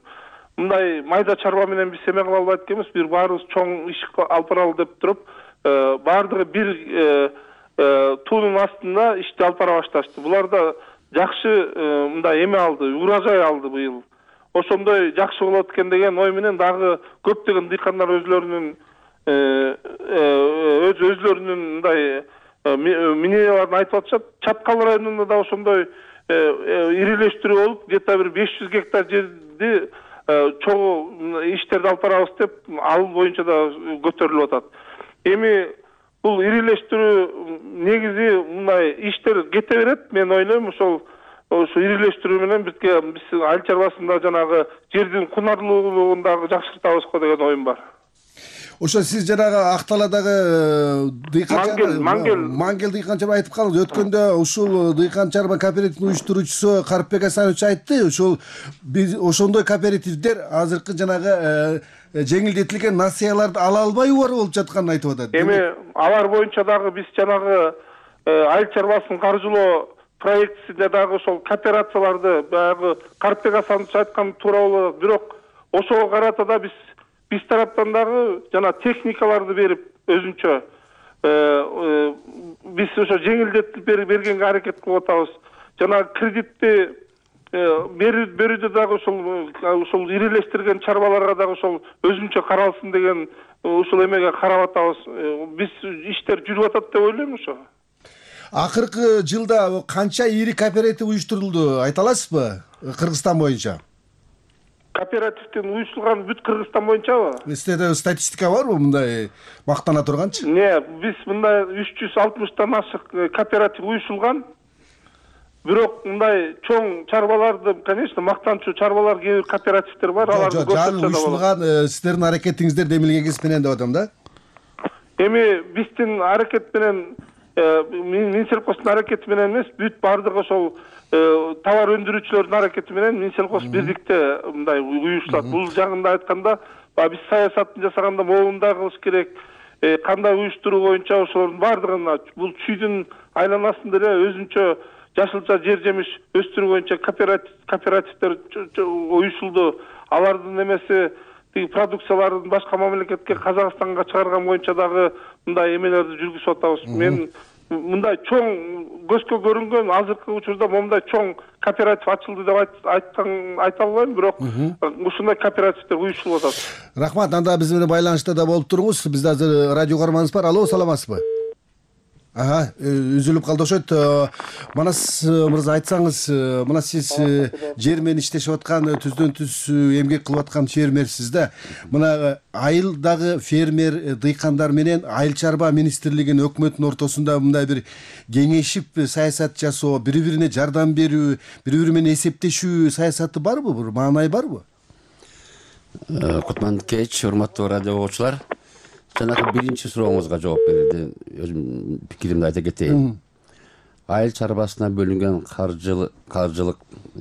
мындай майда чарба менен биз эме кыла албайт экенбиз, бир баарыбыз чоң иш алып баралы деп туруп, баардыгы бир туунун астында ишти алып бара башташты. Булар да жакшы мындай эме алды, урожай алды быйыл. Ошондой жакшы болот экен деген ой менен дагы көптөгөн дыйкандар өзлөрүнүн өз өзлөрүнүн мындай мненияларын айтып атышат. Чаткал районунда да ошондой ирилештирүү болуп где то бир беш жүз гектар жерди чогуу иштерди алып барабыз деп ал боюнча да көтөрүлүп атат. Эми бул ирилештирүү негизи мындай иштер кете берет. Мен ойлойм ошол ошо ирилештирүү менен бизге биз айыл чарбасында жанагы жердин кунарлуулугун дагы жакшыртабыз го деген оюм бар. Ошо сиз жанагы Ак Таладагы дыйкан Мангел Мангел дыйкан чарба айтып калдыңыз. Өткөндө ушул дыйкан чарба кооперативинин уюштуруучусу Карпбек Асанович айтты. Ошол ошондой кооперативдер азыркы жанагы жеңилдетилген насыяларды ала албай убарып болуп жатканын айтып атат. Эми алар боюнча дагы биз жанагы айыл чарбасын каржылоо проектисинде дагы ошол кооперацияларды баягы Карпбек Асанович айткан туура болот. Бирок ошого карата да биз биз тараптан дагы жана техникаларды берип өзүнчө биз ошо жеңилдетип бергенге аракет кылып атабыз. Жана кредитти берүүдө дагы ошол ошол ирилештирген чарбаларга дагы ошол өзүнчө каралсын деген ушул эмеге карап атабыз. Биз иштер жүрүп атат деп ойлойм ошо. Акыркы жылда канча ири кооператив уюштурулду айта аласызбы Кыргызстан боюнча? Кооперативдин уюштурулган бүт Кыргызстан боюнчабы? Сизде статистика барбы мындай мактана турганчы? Не, биз мындай үч жүз алтымыштан ашык кооператив уюштурулган. Бирок мындай чоң чарбаларды, конечно, мактанчу чарбалар кээ бир кооперативдер бар, аларды көрсөтсө да уюштурулган сиздердин аракетиңиздер демилгеңиз менен деп атам да. Эми биздин аракет менен Минсельхоздун аракети менен эмес, бүт бардыгы ошол товар өндүрүүчүлөрдүн аракети менен Минсельхоз бирдикте мындай уюштурат. Бул жагында айтканда, биз саясатын жасаганда моундай кылыш керек, кандай уюштуруу боюнча ошолордун бардыгына бул чүйдүн айланасында эле өзүнчө жашылча жер жемиш өстүрүү боюнча кооперативдер уюшулду. Алардын эмеси тиги продукцияларын башка мамлекетке, Казакстанга чыгарган боюнча дагы мындай эмелерди жүргүзүп атабыз. Мен мындай чоң көзгө көрүнгөн азыркы учурда момундай чоң кооператив ачылды деп айткан айта албайм, бирок ушундай кооперативдер уюштурулуп атат. Рахмат, анда биз менен байланышта да болуп туруңуз. Бизде азыр радио көрмаңыз бар. Алло, саламатсызбы? Ага, үзүлүп калды окшойт. Манас мырза, айтсаңыз, мына сиз жер менен иштешип аткан, түздөн түз эмгек кылып аткан фермерсиз да. Мына айылдагы фермер дыйкандар менен айыл чарба министрлигинин өкмөттүн ортосунда мындай бир кеңешип саясат жасоо, бири-бирине жардам берүү, бири-бири менен эсептешүү саясаты барбы? Бир маанай барбы? Кутман кеч, урматтуу радио угуучулар. Жанагы биринчи сурооңузга жооп берди. Өзүм пикиримди айта кетейин. Айыл чарбасына бөлүнгөн каржылык, каржылык,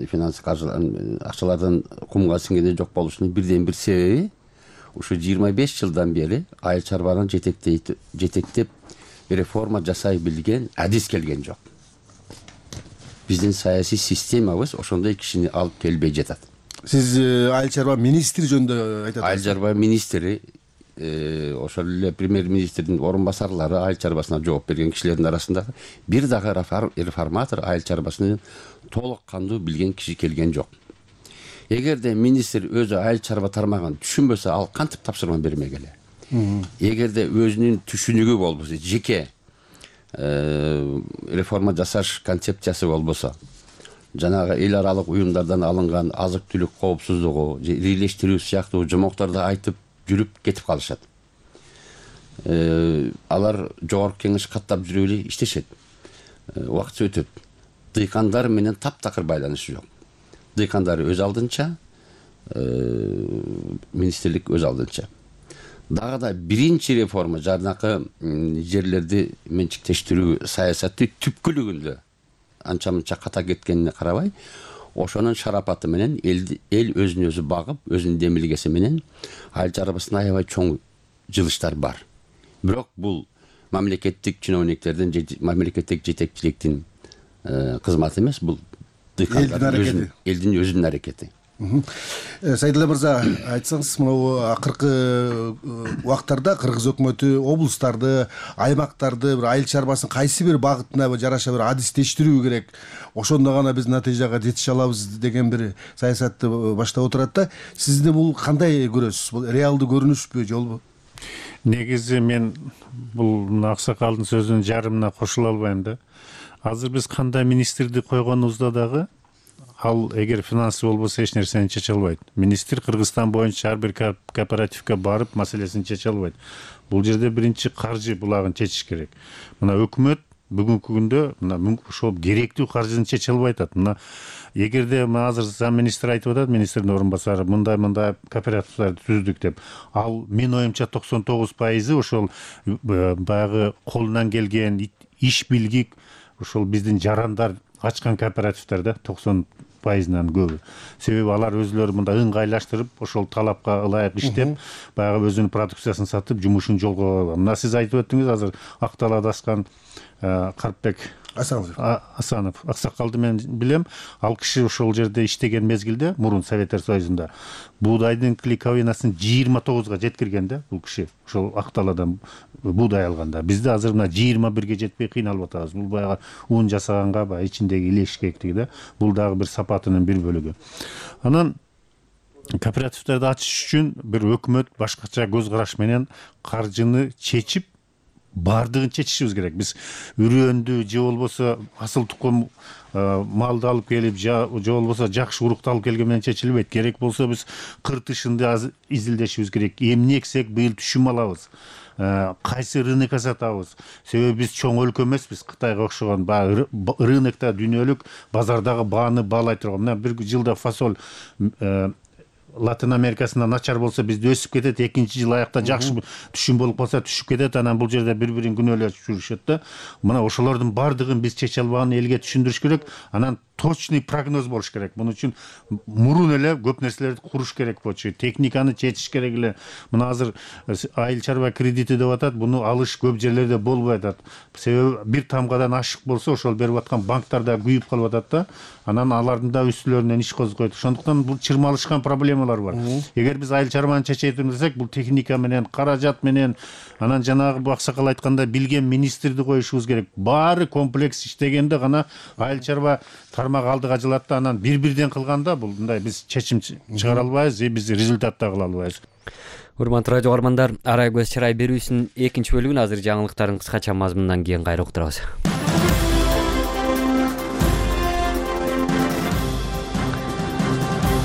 финанс каржылардын акчалардын кумга сиңгени жок болушунун бирден бир себеби ушу жыйырма беш жылдан бери айыл чарбаны жетектейт, жетектеп реформа жасай билген адис келген жок. Биздин саясий системабыз ошондой кишини алып келбей жатат. Сиз айыл чарба министри жөнүндө айтасыз? Айыл чарба министри ошол эле премьер-министрдин орун басарлары айыл чарбасына жооп берген кишилердин арасында бир дагы реформатор айыл чарбасын толук кандуу билген киши келген жок. Эгерде министр өзү айыл чарба тармагын түшүнбөсө, ал кантип тапшырма бермек эле? Эгерде өзүнүн түшүнүгү болбосо, жеке реформа жасаш концепциясы болбосо, жанагы эл аралык уюмдардан алынган азык-түлүк коопсуздугу, ирилештирүү сыяктуу жомокторду айтып жүрүп кетип калышат. Алар жогорку кеңеш каттап жүрүп эле иштешет. Убакыт өтөт. Дыйкандар менен таптакыр байланыш жок. Дыйкандар өз алдынча, министрлик өз алдынча. Дагы да биринчи реформа жанакы жерлерди менчиктештирүү саясаты түпкүлүгүндө анча-мынча ката кеткенине карабай, ошонун шарапаты менен эл өзүн өзү багып, өзүнүн демилгеси менен айыл чарбасына аябай чоң жылыштар бар. Бирок бул мамлекеттик чиновниктердин, мамлекеттик жетекчиликтин кызматы эмес, бул дыйкандардын элдин өзүнүн аракети. Сайдулла мырза, айтсаңыз, мына акыркы убактарда Кыргыз өкмөтү облустарды, аймактарды бир айыл чарбасын кайсы бир багытына жараша бир адистештирүү керек, ошондо гана биз натыйжага жетише алабыз деген бир саясатты баштап отурат да. Сизде бул кандай көрөсүз? Бул реалдуу көрүнүшпү, жолбу? Негизи мен бул аксакалдын сөзүнүн жарымына кошула албайм да. азыр биз кандай министрди койгонубузда дагы ал эгер финансы болбосо эч нерсени чече албайт. Министр Кыргызстан боюнча ар бир кооперативге барып маселесин чече албайт. Бул жерде биринчи каржы булагын чечиш керек. Мына өкмөт бүгүнкү күндө мына ошол керектүү каржыны чече албай атат. Мына эгерде азыр зам министр айтып атат, министрдин орун басары мындай мындай кооперативдерди түздүк деп, ал менин оюмча токсон тогуз пайызы ошол баягы колунан келген иш билгик ошол биздин жарандар ачкан кооперативдер да, токсон пайызынан көбү. Себеби алар өзүлөрү мындай ыңгайлаштырып, ошол талапка ылайык иштеп, баягы өзүнүн продукциясын сатып, жумушун жолго койгон. Мына сиз айтып өттүңүз, азыр Ак Талаада аскан Карпбек Асанов аксакалды мен билем. Ал киши ошол жерде иштеген мезгилде, мурун Советтер Союзунда буудайдын клейковинасын жыйырма тогузга жеткирген да бул киши. Ошол Ак Талаадан буудай алганда. Бизде азыр мына жыйырма бирге жетпей кыйналып атабыз. Бул баягы ун жасаганга баягы ичиндеги илешкектиги да. Бул дагы бир сапатынын бир бөлүгү. Анан кооперативдерди ачыш үчүн бир өкмөт башкача көз караш менен каржыны чечип бардыгын чечишибиз керек. Биз үрөндү же болбосо асыл тукум малды алып келип, же болбосо жакшы урукту алып келген менен чечилбейт. Керек болсо биз кыр тышынды изилдешибиз керек. Эмне эксек быйыл түшүм алабыз, кайсы рынокко сатабыз. Себеби биз чоң өлкө эмеспиз, Кытайга окшогон баягы рынокто дүйнөлүк базардагы бааны баалай турган. Мына бир жылда фасоль Латын Америкасында начар болсо бизде өсүп кетет, экинчи жыл аякта жакшы түшүм болуп калса түшүп кетет, анан бул жерде бири-бирин күнөөлөп жүрүшөт да. Мына ошолордун бардыгын биз чече албаганын элге түшүндүрүш керек. Анан точный прогноз болуш керек. Муну үчүн мурун эле көп нерселерди куруш керек болчу. Техниканы чечиш керек эле. Мына азыр айыл чарба кредити деп атат. Буну алыш көп жерлерде болбой атат. Себеби бир тамгадан ашык болсо, ошол берип аткан банктар да күйүп калып атат да. Анан алардын да үстүлөрүнөн иш козгойт. Ошондуктан бул чырмалышкан проблемалар бар. Эгер биз айыл чарбаны чечетим десек, бул техника менен, каражат менен, анан жанагы аксакал айткандай билген министрди коюшубуз керек. Баары комплекс иштегенде гана айыл чарба тармак алдыга жылат да, анан бир-бирден кылганда бул мындай биз чечим чыгара албайбыз, же биз результат да кыла албайбыз. Урматтуу радио каармандар, Арай көз чырай берүүсүнүн экинчи бөлүгүн азыр жаңылыктардын кыскача мазмунунан кийин кайра уктурабыз.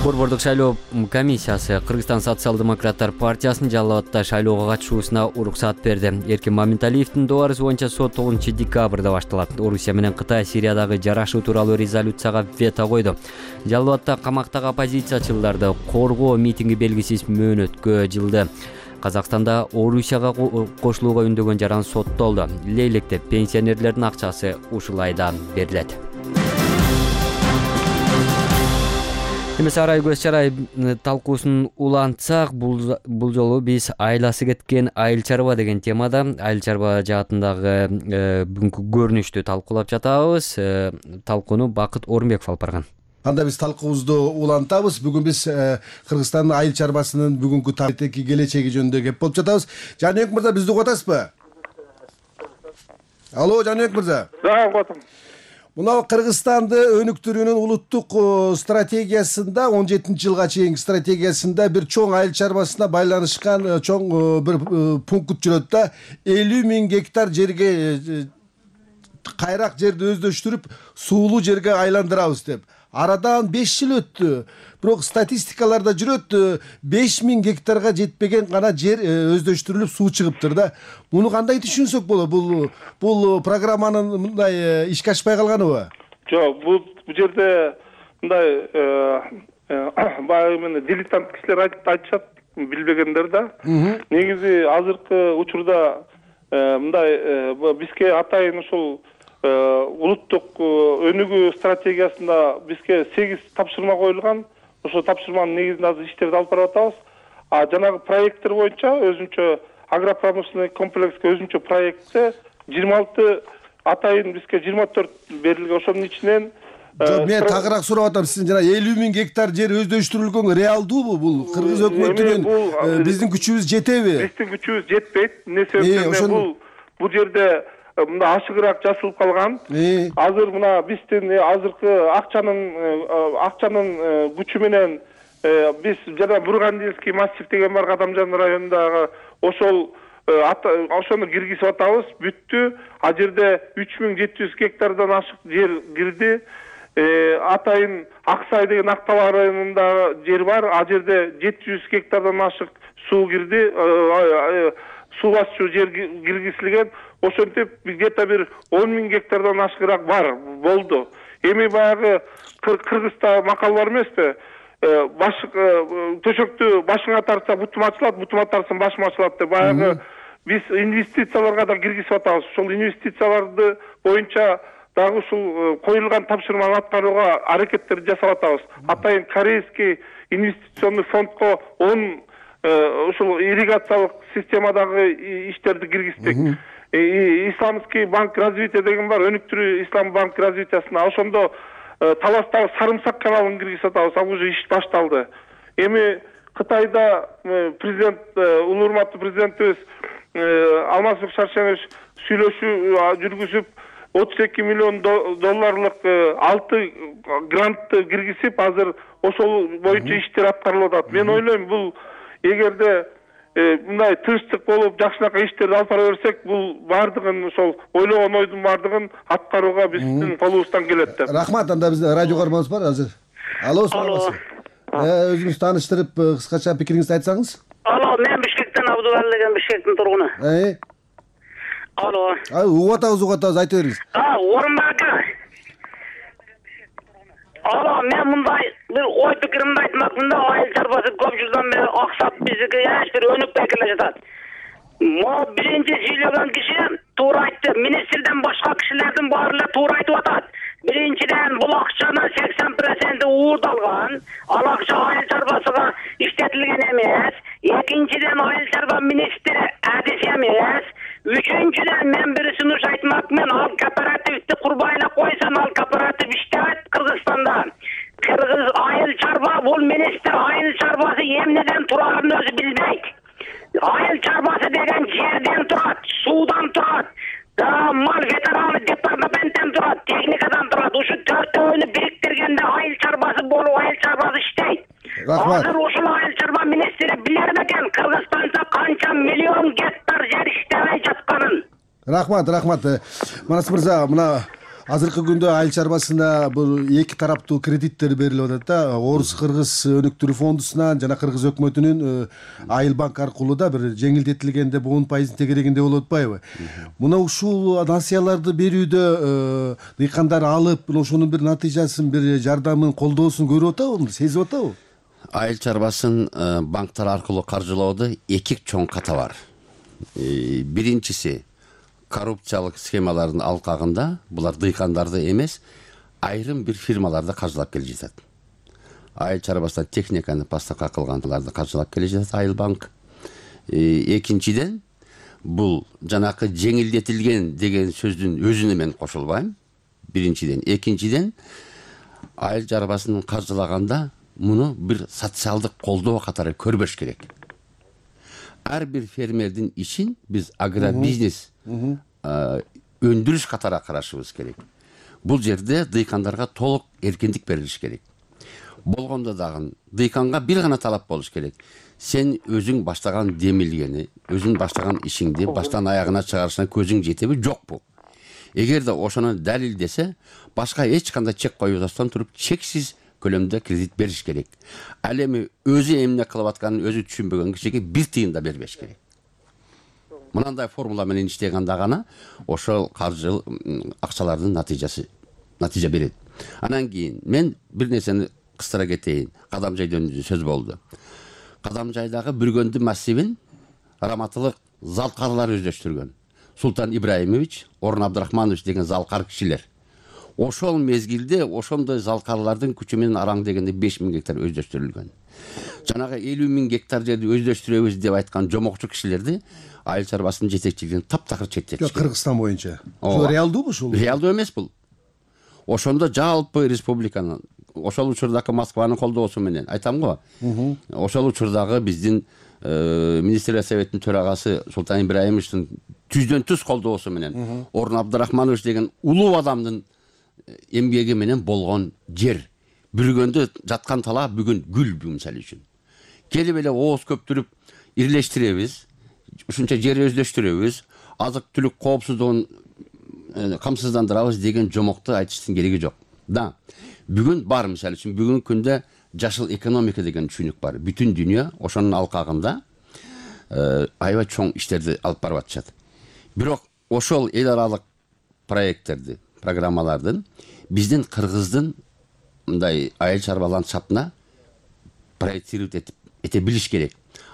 Борбордук шайлоо комиссиясы Кыргызстан социал-демократтар партиясынын Жалал Абадта шайлоого катышуусуна уруксат берди. Эркин Маменталиевдин добарысы боюнча сот тогузунчу декабрда башталат. Орусия менен Кытай Сириядагы жарашуу тууралуу резолюцияга вето койду. Жалал Абадта камактагы оппозициячыларды коргоо митинги белгисиз мөөнөткө жылды. Казакстанда Орусияга кошулууга үндөгөн жаран соттолду. Лейлекте пенсионерлердин акчасы ушул айда берилет. Эмесе Арай көз чарай талкуусун улантсак, бул жолу биз айласы кеткен айыл чарба деген темада айыл чарба жаатындагы бүгүнкү көрүнүштү талкуулап жатабыз. Талкууну Бакыт Орунбеков алып барган. Анда биз талкуубузду улантабыз. Бүгүн биз Кыргызстандын айыл чарбасынын бүгүнкү тарихи келечеги жөнүндө кеп болуп жатабыз. Жаныбек мырза, бизди угуп атасызбы? Алло, Жаныбек мырза. Да, угуп атам. Мына Кыргызстанды өнүктүрүүнүн улуттук стратегиясында он жетинчи жылга чейинки стратегиясында бир чоң айыл чарбасына байланышкан чоң бир пункт жүрөт да, элүү миң гектар жерге кайрак жерди өздөштүрүп суулуу жерге айландырабыз деп. Арадан беш жыл өттү. Бирок статистикаларда жүрөт, беш миң гектарга жетпеген гана жер өздөштүрүлүп суу чыгыптыр да. Муну кандай түшүнсөк болот? Бул бул программанын мындай ишке ашпай калганыбы? Жок, бул бул жерде мындай баягы менен дилетант кишилер айтышат, билбегендер да. Негизи азыркы учурда мындай бизге атайын ушул улуттук өнүгүү стратегиясында бизге сегиз тапшырма коюлган. Ошол тапшырманын негизинде азыр иштерди алып барып атабыз. А жанагы проекттер боюнча өзүнчө агропромышленный комплекске өзүнчө проектте жыйырма алты атайын бизге жыйырма төрт берилген. Ошонун ичинен мен тагыраак сурап атам, сиздин жана элүү миң гектар жер өздөштүрүлгөн реалдуубу? Бул кыргыз өкмөтүнүн биздин күчүбүз жетеби? Биздин күчүбүз жетпейт. Эмне себептен бул бул жерде мына ашыгыраак жасалып калган. Азыр мына биздин азыркы акчанын акчанын күчү менен биз жана Бургандинский массив деген бар Кадамжан районундагы, ошол ошону киргизип атабыз. Бүттү. А жерде үч миң жети жүз гектардан ашык жер кирди. Атайын Аксай деген Актала районунда жер бар. А жерде жети жүз гектардан ашык суу кирди. Суу басчу жер киргизилген. Ошентип где-то бир он миң гектардан ашыгыраак бар болду. Эми баягы Кыргызда макал бар эмеспи? Баш төшөктү башыңа тартса бутум ачылат, бутума тартсаң башым ачылат деп баягы биз инвестицияларга да киргизип атабыз. Ошол инвестицияларды боюнча дагы ушул коюлган тапшырманы аткарууга аракеттерди жасап атабыз. Атайын Корейский инвестиционный фондко он ушул ирригациялык системадагы иштерди киргиздик. Исламский банк развития деген бар, өнүктүрүү ислам банк развитиясына. Ошондо Таластагы Сарымсак каналын киргизип атабыз. Ал уже иш башталды. Эми Кытайда президент, улуу урматтуу президентибиз Алмазбек Шаршенович сүйлөшүү жүргүзүп, отуз эки миллион долларлык алты грантты киргизип, азыр ошол боюнча иштер аткарылып атат. Мен ойлойм, бул эгерде мындай тынчтык болуп, жакшынакай иштерди алып бара берсек, бул бардыгын ошол ойлогон ойдун бардыгын аткарууга биздин колубуздан келет деп. Рахмат. Анда бизде радио көрмөбүз бар азыр. Алло, саламатсызбы? Өзүңүз тааныштырып, кыскача пикириңизди айтсаңыз. Алло, мен Бишкектен Абдубали деген Бишкектин тургуну. Э? Алло. А, угуп атабыз, угуп атабыз, айта бериңиз. А, Орунбек ака. Алло, мен мындай бир ой пикиримди айтмакмын да, айыл чарбасы көп жылдан бери аксап биздики эч бир өнүкпөй келе жатат. Могу биринчи сүйлөгөн киши туура айтты. Министрден башка кишилердин баары эле туура айтып атат. Биринчиден, бул акчанын сексен проценти уурдалган, ал акча айыл чарбасыга иштетилген эмес. Экинчиден, айыл чарба министри адис эмес. Үчүнчүдөн, мен бир сунуш айтмакмын, ал кооперативди курбай эле койсом, ал кооператив иштебейт Кыргызстанда. Кыргыз айыл чарба, бул министр айыл чарбасы эмнеден турарын өзү билбейт. Айыл чарбасы деген жерден турат, суудан турат, мал ветераны департаменттен турат, техникадан турат. Ушу төртөөнү бириктиргенде айыл чарбасы болуп, айыл чарбасы иштейт. Азыр ушул айыл чарба министри билер бекен Кыргызстанда канча миллион гектар жер иштебей жатканын. Рахмат, рахмат. Манас мырза, мына азыркы күндө айыл чарбасына бул эки тараптуу кредиттер берилип атат да. Орус Кыргыз өнүктүрүү фондусунан жана Кыргыз өкмөтүнүн айыл банк аркылуу да бир жеңилдетилгенде он пайыздын тегерегинде болуп атпайбы? Мына ушул насыяларды берүүдө дыйкандар алып, ошонун бир натыйжасын, бир жардамын, колдоосун көрүп атабы, сезип атабы? Айыл чарбасын банктар аркылуу каржылоодо эки чоң ката бар. Биринчиси коррупциялык схемалардын алкагында булар дыйкандарды эмес, айрым бир фирмаларды каржылап келе жатат. Айыл чарбасына техниканы поставка кылгандарды каржылап келе жатат Айыл банк. Экинчиден, бул жанакы жеңилдетилген деген сөздүн өзүнө мен кошулбайм. Биринчиден, экинчиден, айыл чарбасын каржылаганда муну бир социалдык колдоо катары көрбөш керек. Ар бир фермердин ишин биз агробизнес өндүрүш катары карашыбыз керек. Бул жерде дыйкандарга толук эркиндик берилиш керек. Болгондо дагы дыйканга бир гана талап болуш керек. Сен өзүң баштаган демилгени, өзүң баштаган ишиңди баштан аягына чыгарышына көзүң жетеби, жокпу? Эгерде ошону далилдесе, башка эч кандай чек коюудан туруп чексиз көлөмдө кредит бериш керек. Ал эми өзү эмне кылып атканын өзү түшүнбөгөн кишиге бир тыйын да бербеш керек. Мынандай формула менен иштегенде гана ошол каржы акчалардын натыйжасы натыйжа берет. Анан кийин мен бир нерсени кыстыра кетейин. Кадамжай жөнүндө сөз болду. Кадамжайдагы Бүргөндү массивин раматылык залкарлар өздөштүргөн. Султан Ибраимович, Орун Абдрахманович деген залкар кишилер. Ошол мезгилде ошондой залкарлардын күчү менен араң дегенде беш миң гектар өздөштүрүлгөн. Жанагы элүү миң гектар жерди өздөштүрөбүз деп айткан жомокчу кишилерди айыл чарбасынын жетекчилигинен таптакыр четтетишкен. Кыргызстан боюнча. Ошол реалдуубу ушул? Реалдуу эмес бул. Ошондо жалпы республиканын, ошол учурдагы Москванын колдоосу менен айтам го. Ошол учурдагы биздин министрлер советтин төрагасы Султан Ибраимовичтин түздөн түз колдоосу менен Орун Абдрахманович деген улуу адамдын эмгеги менен болгон жер. Бүргөндө жаткан талаа бүгүн гүл мисалы үчүн. Келип эле ооз көптүрүп ирлештиребиз. ушунча жер өздөштүрөбүз, азык түлүк коопсуздугун камсыздандырабыз деген жомокту айтыштын кереги жок. Да, бүгүн бар, мисалы үчүн бүгүнкү күндө жашыл экономика деген түшүнүк бар. Бүтүн дүйнө ошонун алкагында аябай чоң иштерди алып барып атышат. Бирок ошол эл аралык проекттерди, программалардын биздин Кыргыздын мындай айыл чарба ландшафтына проектировать эте билиш керек.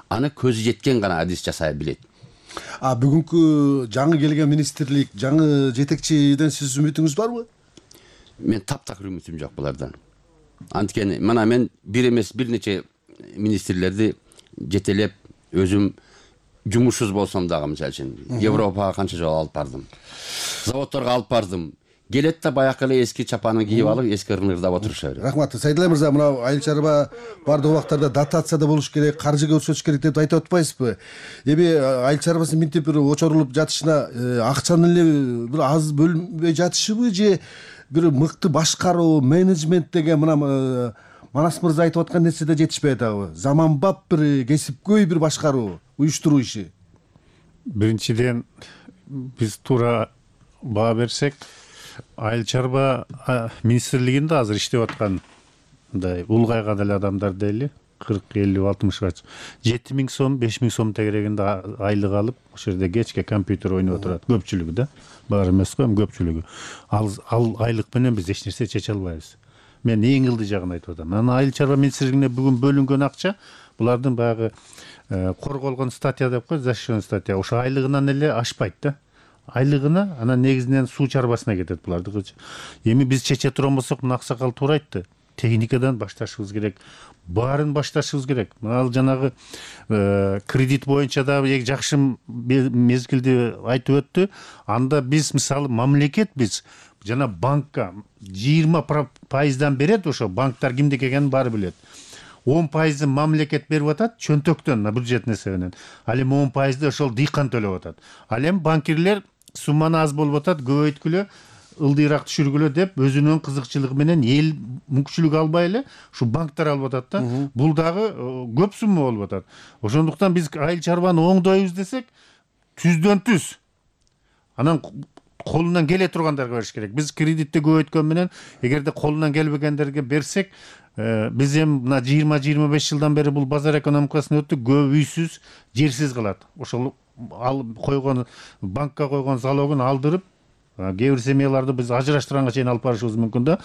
Аны көзү жеткен гана адис жасай билет. А бүгүнкү жаңы келген министрлик, жаңы жетекчиден сиз үмүтүңүз барбы? Мен таптакыр үмүтүм жок булардан. Анткени мына мен бир эмес бир нече министрлерди жетелеп өзүм жумушсуз болсом дагы, мисалы үчүн Европага канча жолу алып бардым. Заводторго алып бардым. Келет да баягы эле эски чапанын кийип алып, эски ырнырдап отуруша берет. Рахмат. Сайдулла мырза, мына айыл чарба бардык убактарда дотация да болуш керек, каржы көрсөтүш керек деп айтып атпайсызбы? Эми айыл чарбасы минтип бир очорулуп жатышына акчанын эле бир аз бөлүнбөй жатышыбы же бир мыкты башкаруу, менеджмент деген мына Манас мырза айтып аткан нерсе да жетишпей атабы? Заманбап бир кесипкөй бир башкаруу, уюштуруу иши. Биринчиден биз туура баа берсек, айыл чарба министрлигинде азыр иштеп аткан мындай улгайган эле адамдар дейли, кырк, элүү, алтымышка жети миң сом, беш миң сом тегерегинде айлык алып, ошол жерде кечке компьютер ойноп отурат. Көпчүлүгү да, баары эмес го, эми көпчүлүгү. Ал ал айлык менен биз эч нерсе чече албайбыз. Мен эң ылдый жагын айтып атам. Анан айыл чарба министрлигине бүгүн бөлүнгөн акча булардын баягы корголгон статья деп коет, защищенный статья. Ошо айлыгынан эле ашпайт да. Айлыгына анан негизинен суу чарбасына кетет булардыкы. Эми биз чече турган болсок, мына аксакал туура айтты. Техникадан башташыбыз керек. Баарын башташыбыз керек. Ал жанагы кредит боюнча да жакшы мезгилди айтып өттү. Анда биз мисалы мамлекет биз жана банкка жыйырма пайыздан берет, ошо банктар кимдики экенин баары билет. он пайызын мамлекет берип атат чөнтөктөн, бюджет несебинен. Ал эми он пайызды ошол дыйкан төлөп атат. Ал эми банкирлер сумманы аз болуп атат, көбөйткүлө, ылдыйраак түшүргүлө деп өзүнүн кызыкчылыгы менен эл мүмкүнчүлүк албай эле ушу банктар алып атат да. Бул дагы көп сумма болуп атат. Ошондуктан биз айыл чарбаны оңдойбуз десек, түздөн түз. Анан колунан келе тургандарга бериш керек. Биз кредитти көбөйткөн менен, эгерде колунан келбегендерге берсек, биз эми мына жыйырма жыйырма беш жылдан бери бул базар экономикасына өттүк, көп үйсүз, жерсиз калат. Ошол ал койгон банкка койгон залогун алдырып, кээ бир семьяларды биз ажыраштырганга чейин алып барышыбыз мүмкүн да.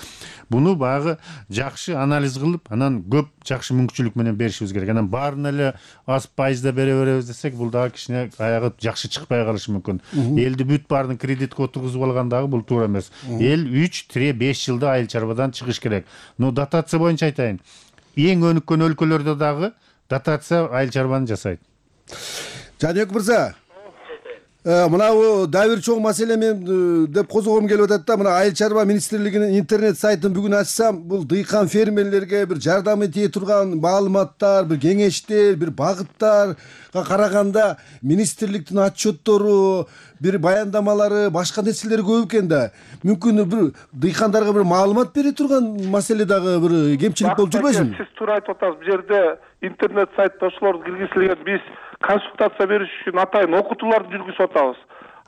Буну баягы жакшы анализ кылып, анан көп жакшы мүмкүнчүлүк менен беришибиз керек. Анан баарын эле аз пайызда бере беребиз десек, бул дагы кичине аягы жакшы чыкпай калышы мүмкүн. Элди бүт баарын кредитке отургузуп алган дагы бул туура эмес. Эл үч беш жылда айыл чарбадан чыгыш керек. Но дотация боюнча айтайын. Эң өнүккөн өлкөлөрдө дагы дотация айыл чарбаны жасайт. Жаныбек мырза, мына дагы бир чоң маселе мен деп козгогум келип атат да. Мына айыл чарба министрлигинин интернет сайтын бүгүн ачсам, бул дыйкан фермерлерге бир жардам этие турган маалыматтар, бир кеңештер, бир багыттарга караганда министрликтин отчеттору, бир баяндамалары, башка нерселери көп экен да. Мүмкүн бир дыйкандарга бир маалымат бере турган маселе дагы бир кемчилик болуп жүрбөйсүзбү? Сиз туура айтып атасыз. Бу жерде интернет сайтта ошолорду киргизилген, биз консультация бериш үчүн атайын окутууларды жүргүзүп атабыз.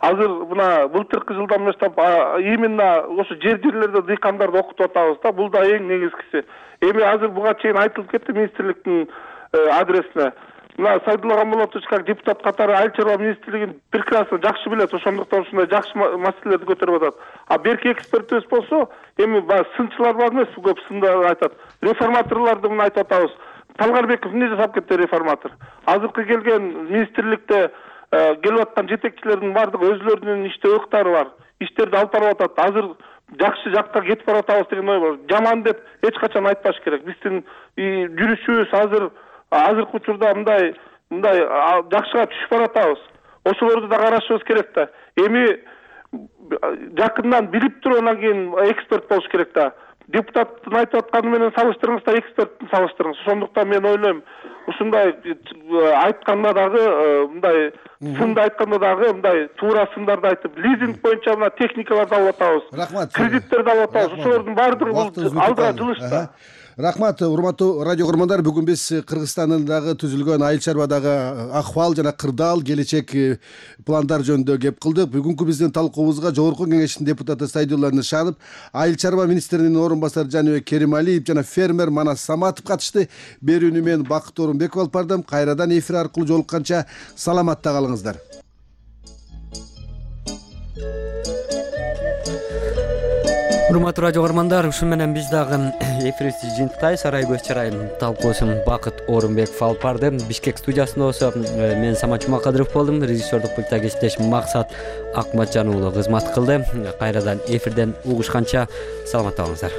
Азыр мына былтыркы жылдан баштап именно ошо жер жерлерде дыйкандарды окутуп атабыз да. Бул да эң негизгиси. Эми азыр буга чейин айтылып кетти министрликтин адресине. Мына Сайдулла Гамболотович как депутат катары айыл чарба министрлигин прекрасно жакшы билет, ошондуктан ушундай жакшы маселелерди көтөрүп атат. А берки экспертибиз болсо, эми баягы сынчылар бар эмес, көп сында айтат. Реформаторлорду мына айтып атабыз. Талгарбеков эмне жасап кетти реформатор? Азыркы келген министрликте келип аткан жетекчилердин баардыгы өзлөрүнүн иште ыкыктары бар. Иштерди алып барып атат. Азыр жакшы жакка кетип баратабыз деген ой бар. Жаман деп эч качан айтпаш керек. Биздин жүрүшүбүз азыр азыркы учурда мындай мындай жакшыга түшүп баратабыз. Ошолорду да карашыбыз керек да. Эми жакындан билип туруп анан кийин эксперт болуш керек да. Депутаттын айтып атканы менен салыштырыңыз да, эксперттин салыштырыңыз. Ошондуктан мен ойлойм, ушундай айтканда дагы мындай сынды айтканда дагы мындай туура сындарды айтып, лизинг боюнча мына техникаларды алып атабыз. Рахмат. Кредиттерди алып атабыз. Ошолордун баардыгы алдыга жылышты. Рахмат, урматтуу радио көрөрмандар. Бүгүн биз Кыргызстандагы түзүлгөн айыл чарбадагы акыбал жана кырдаал келечек пландар жөнүндө кеп кылдык. Бүгүнкү биздин талкуубузга Жогорку Кеңештин депутаты Сайдулла Нышанов, айыл чарба министринин орун басары Жаныбек Керималиев жана фермер Манас Саматов катышты. Берүүнү мен Бакыт Орунбеков алып бардым. Кайрадан эфир аркылуу жолукканча саламатта калыңыздар. Урматтуу радио көрөрмандар, ушун менен биз дагы эфирибизди жыйынтыктайбыз. Сарай көз чарайым талкуусун Бакыт Орунбеков алып барды. Бишкек студиясында болсо мен Самат Жумакадыров болдум. Режиссердук пультта кесиптеш Максат Акматжан уулу кызмат кылды. Кайрадан эфирден угушканча саламатта болуңуздар.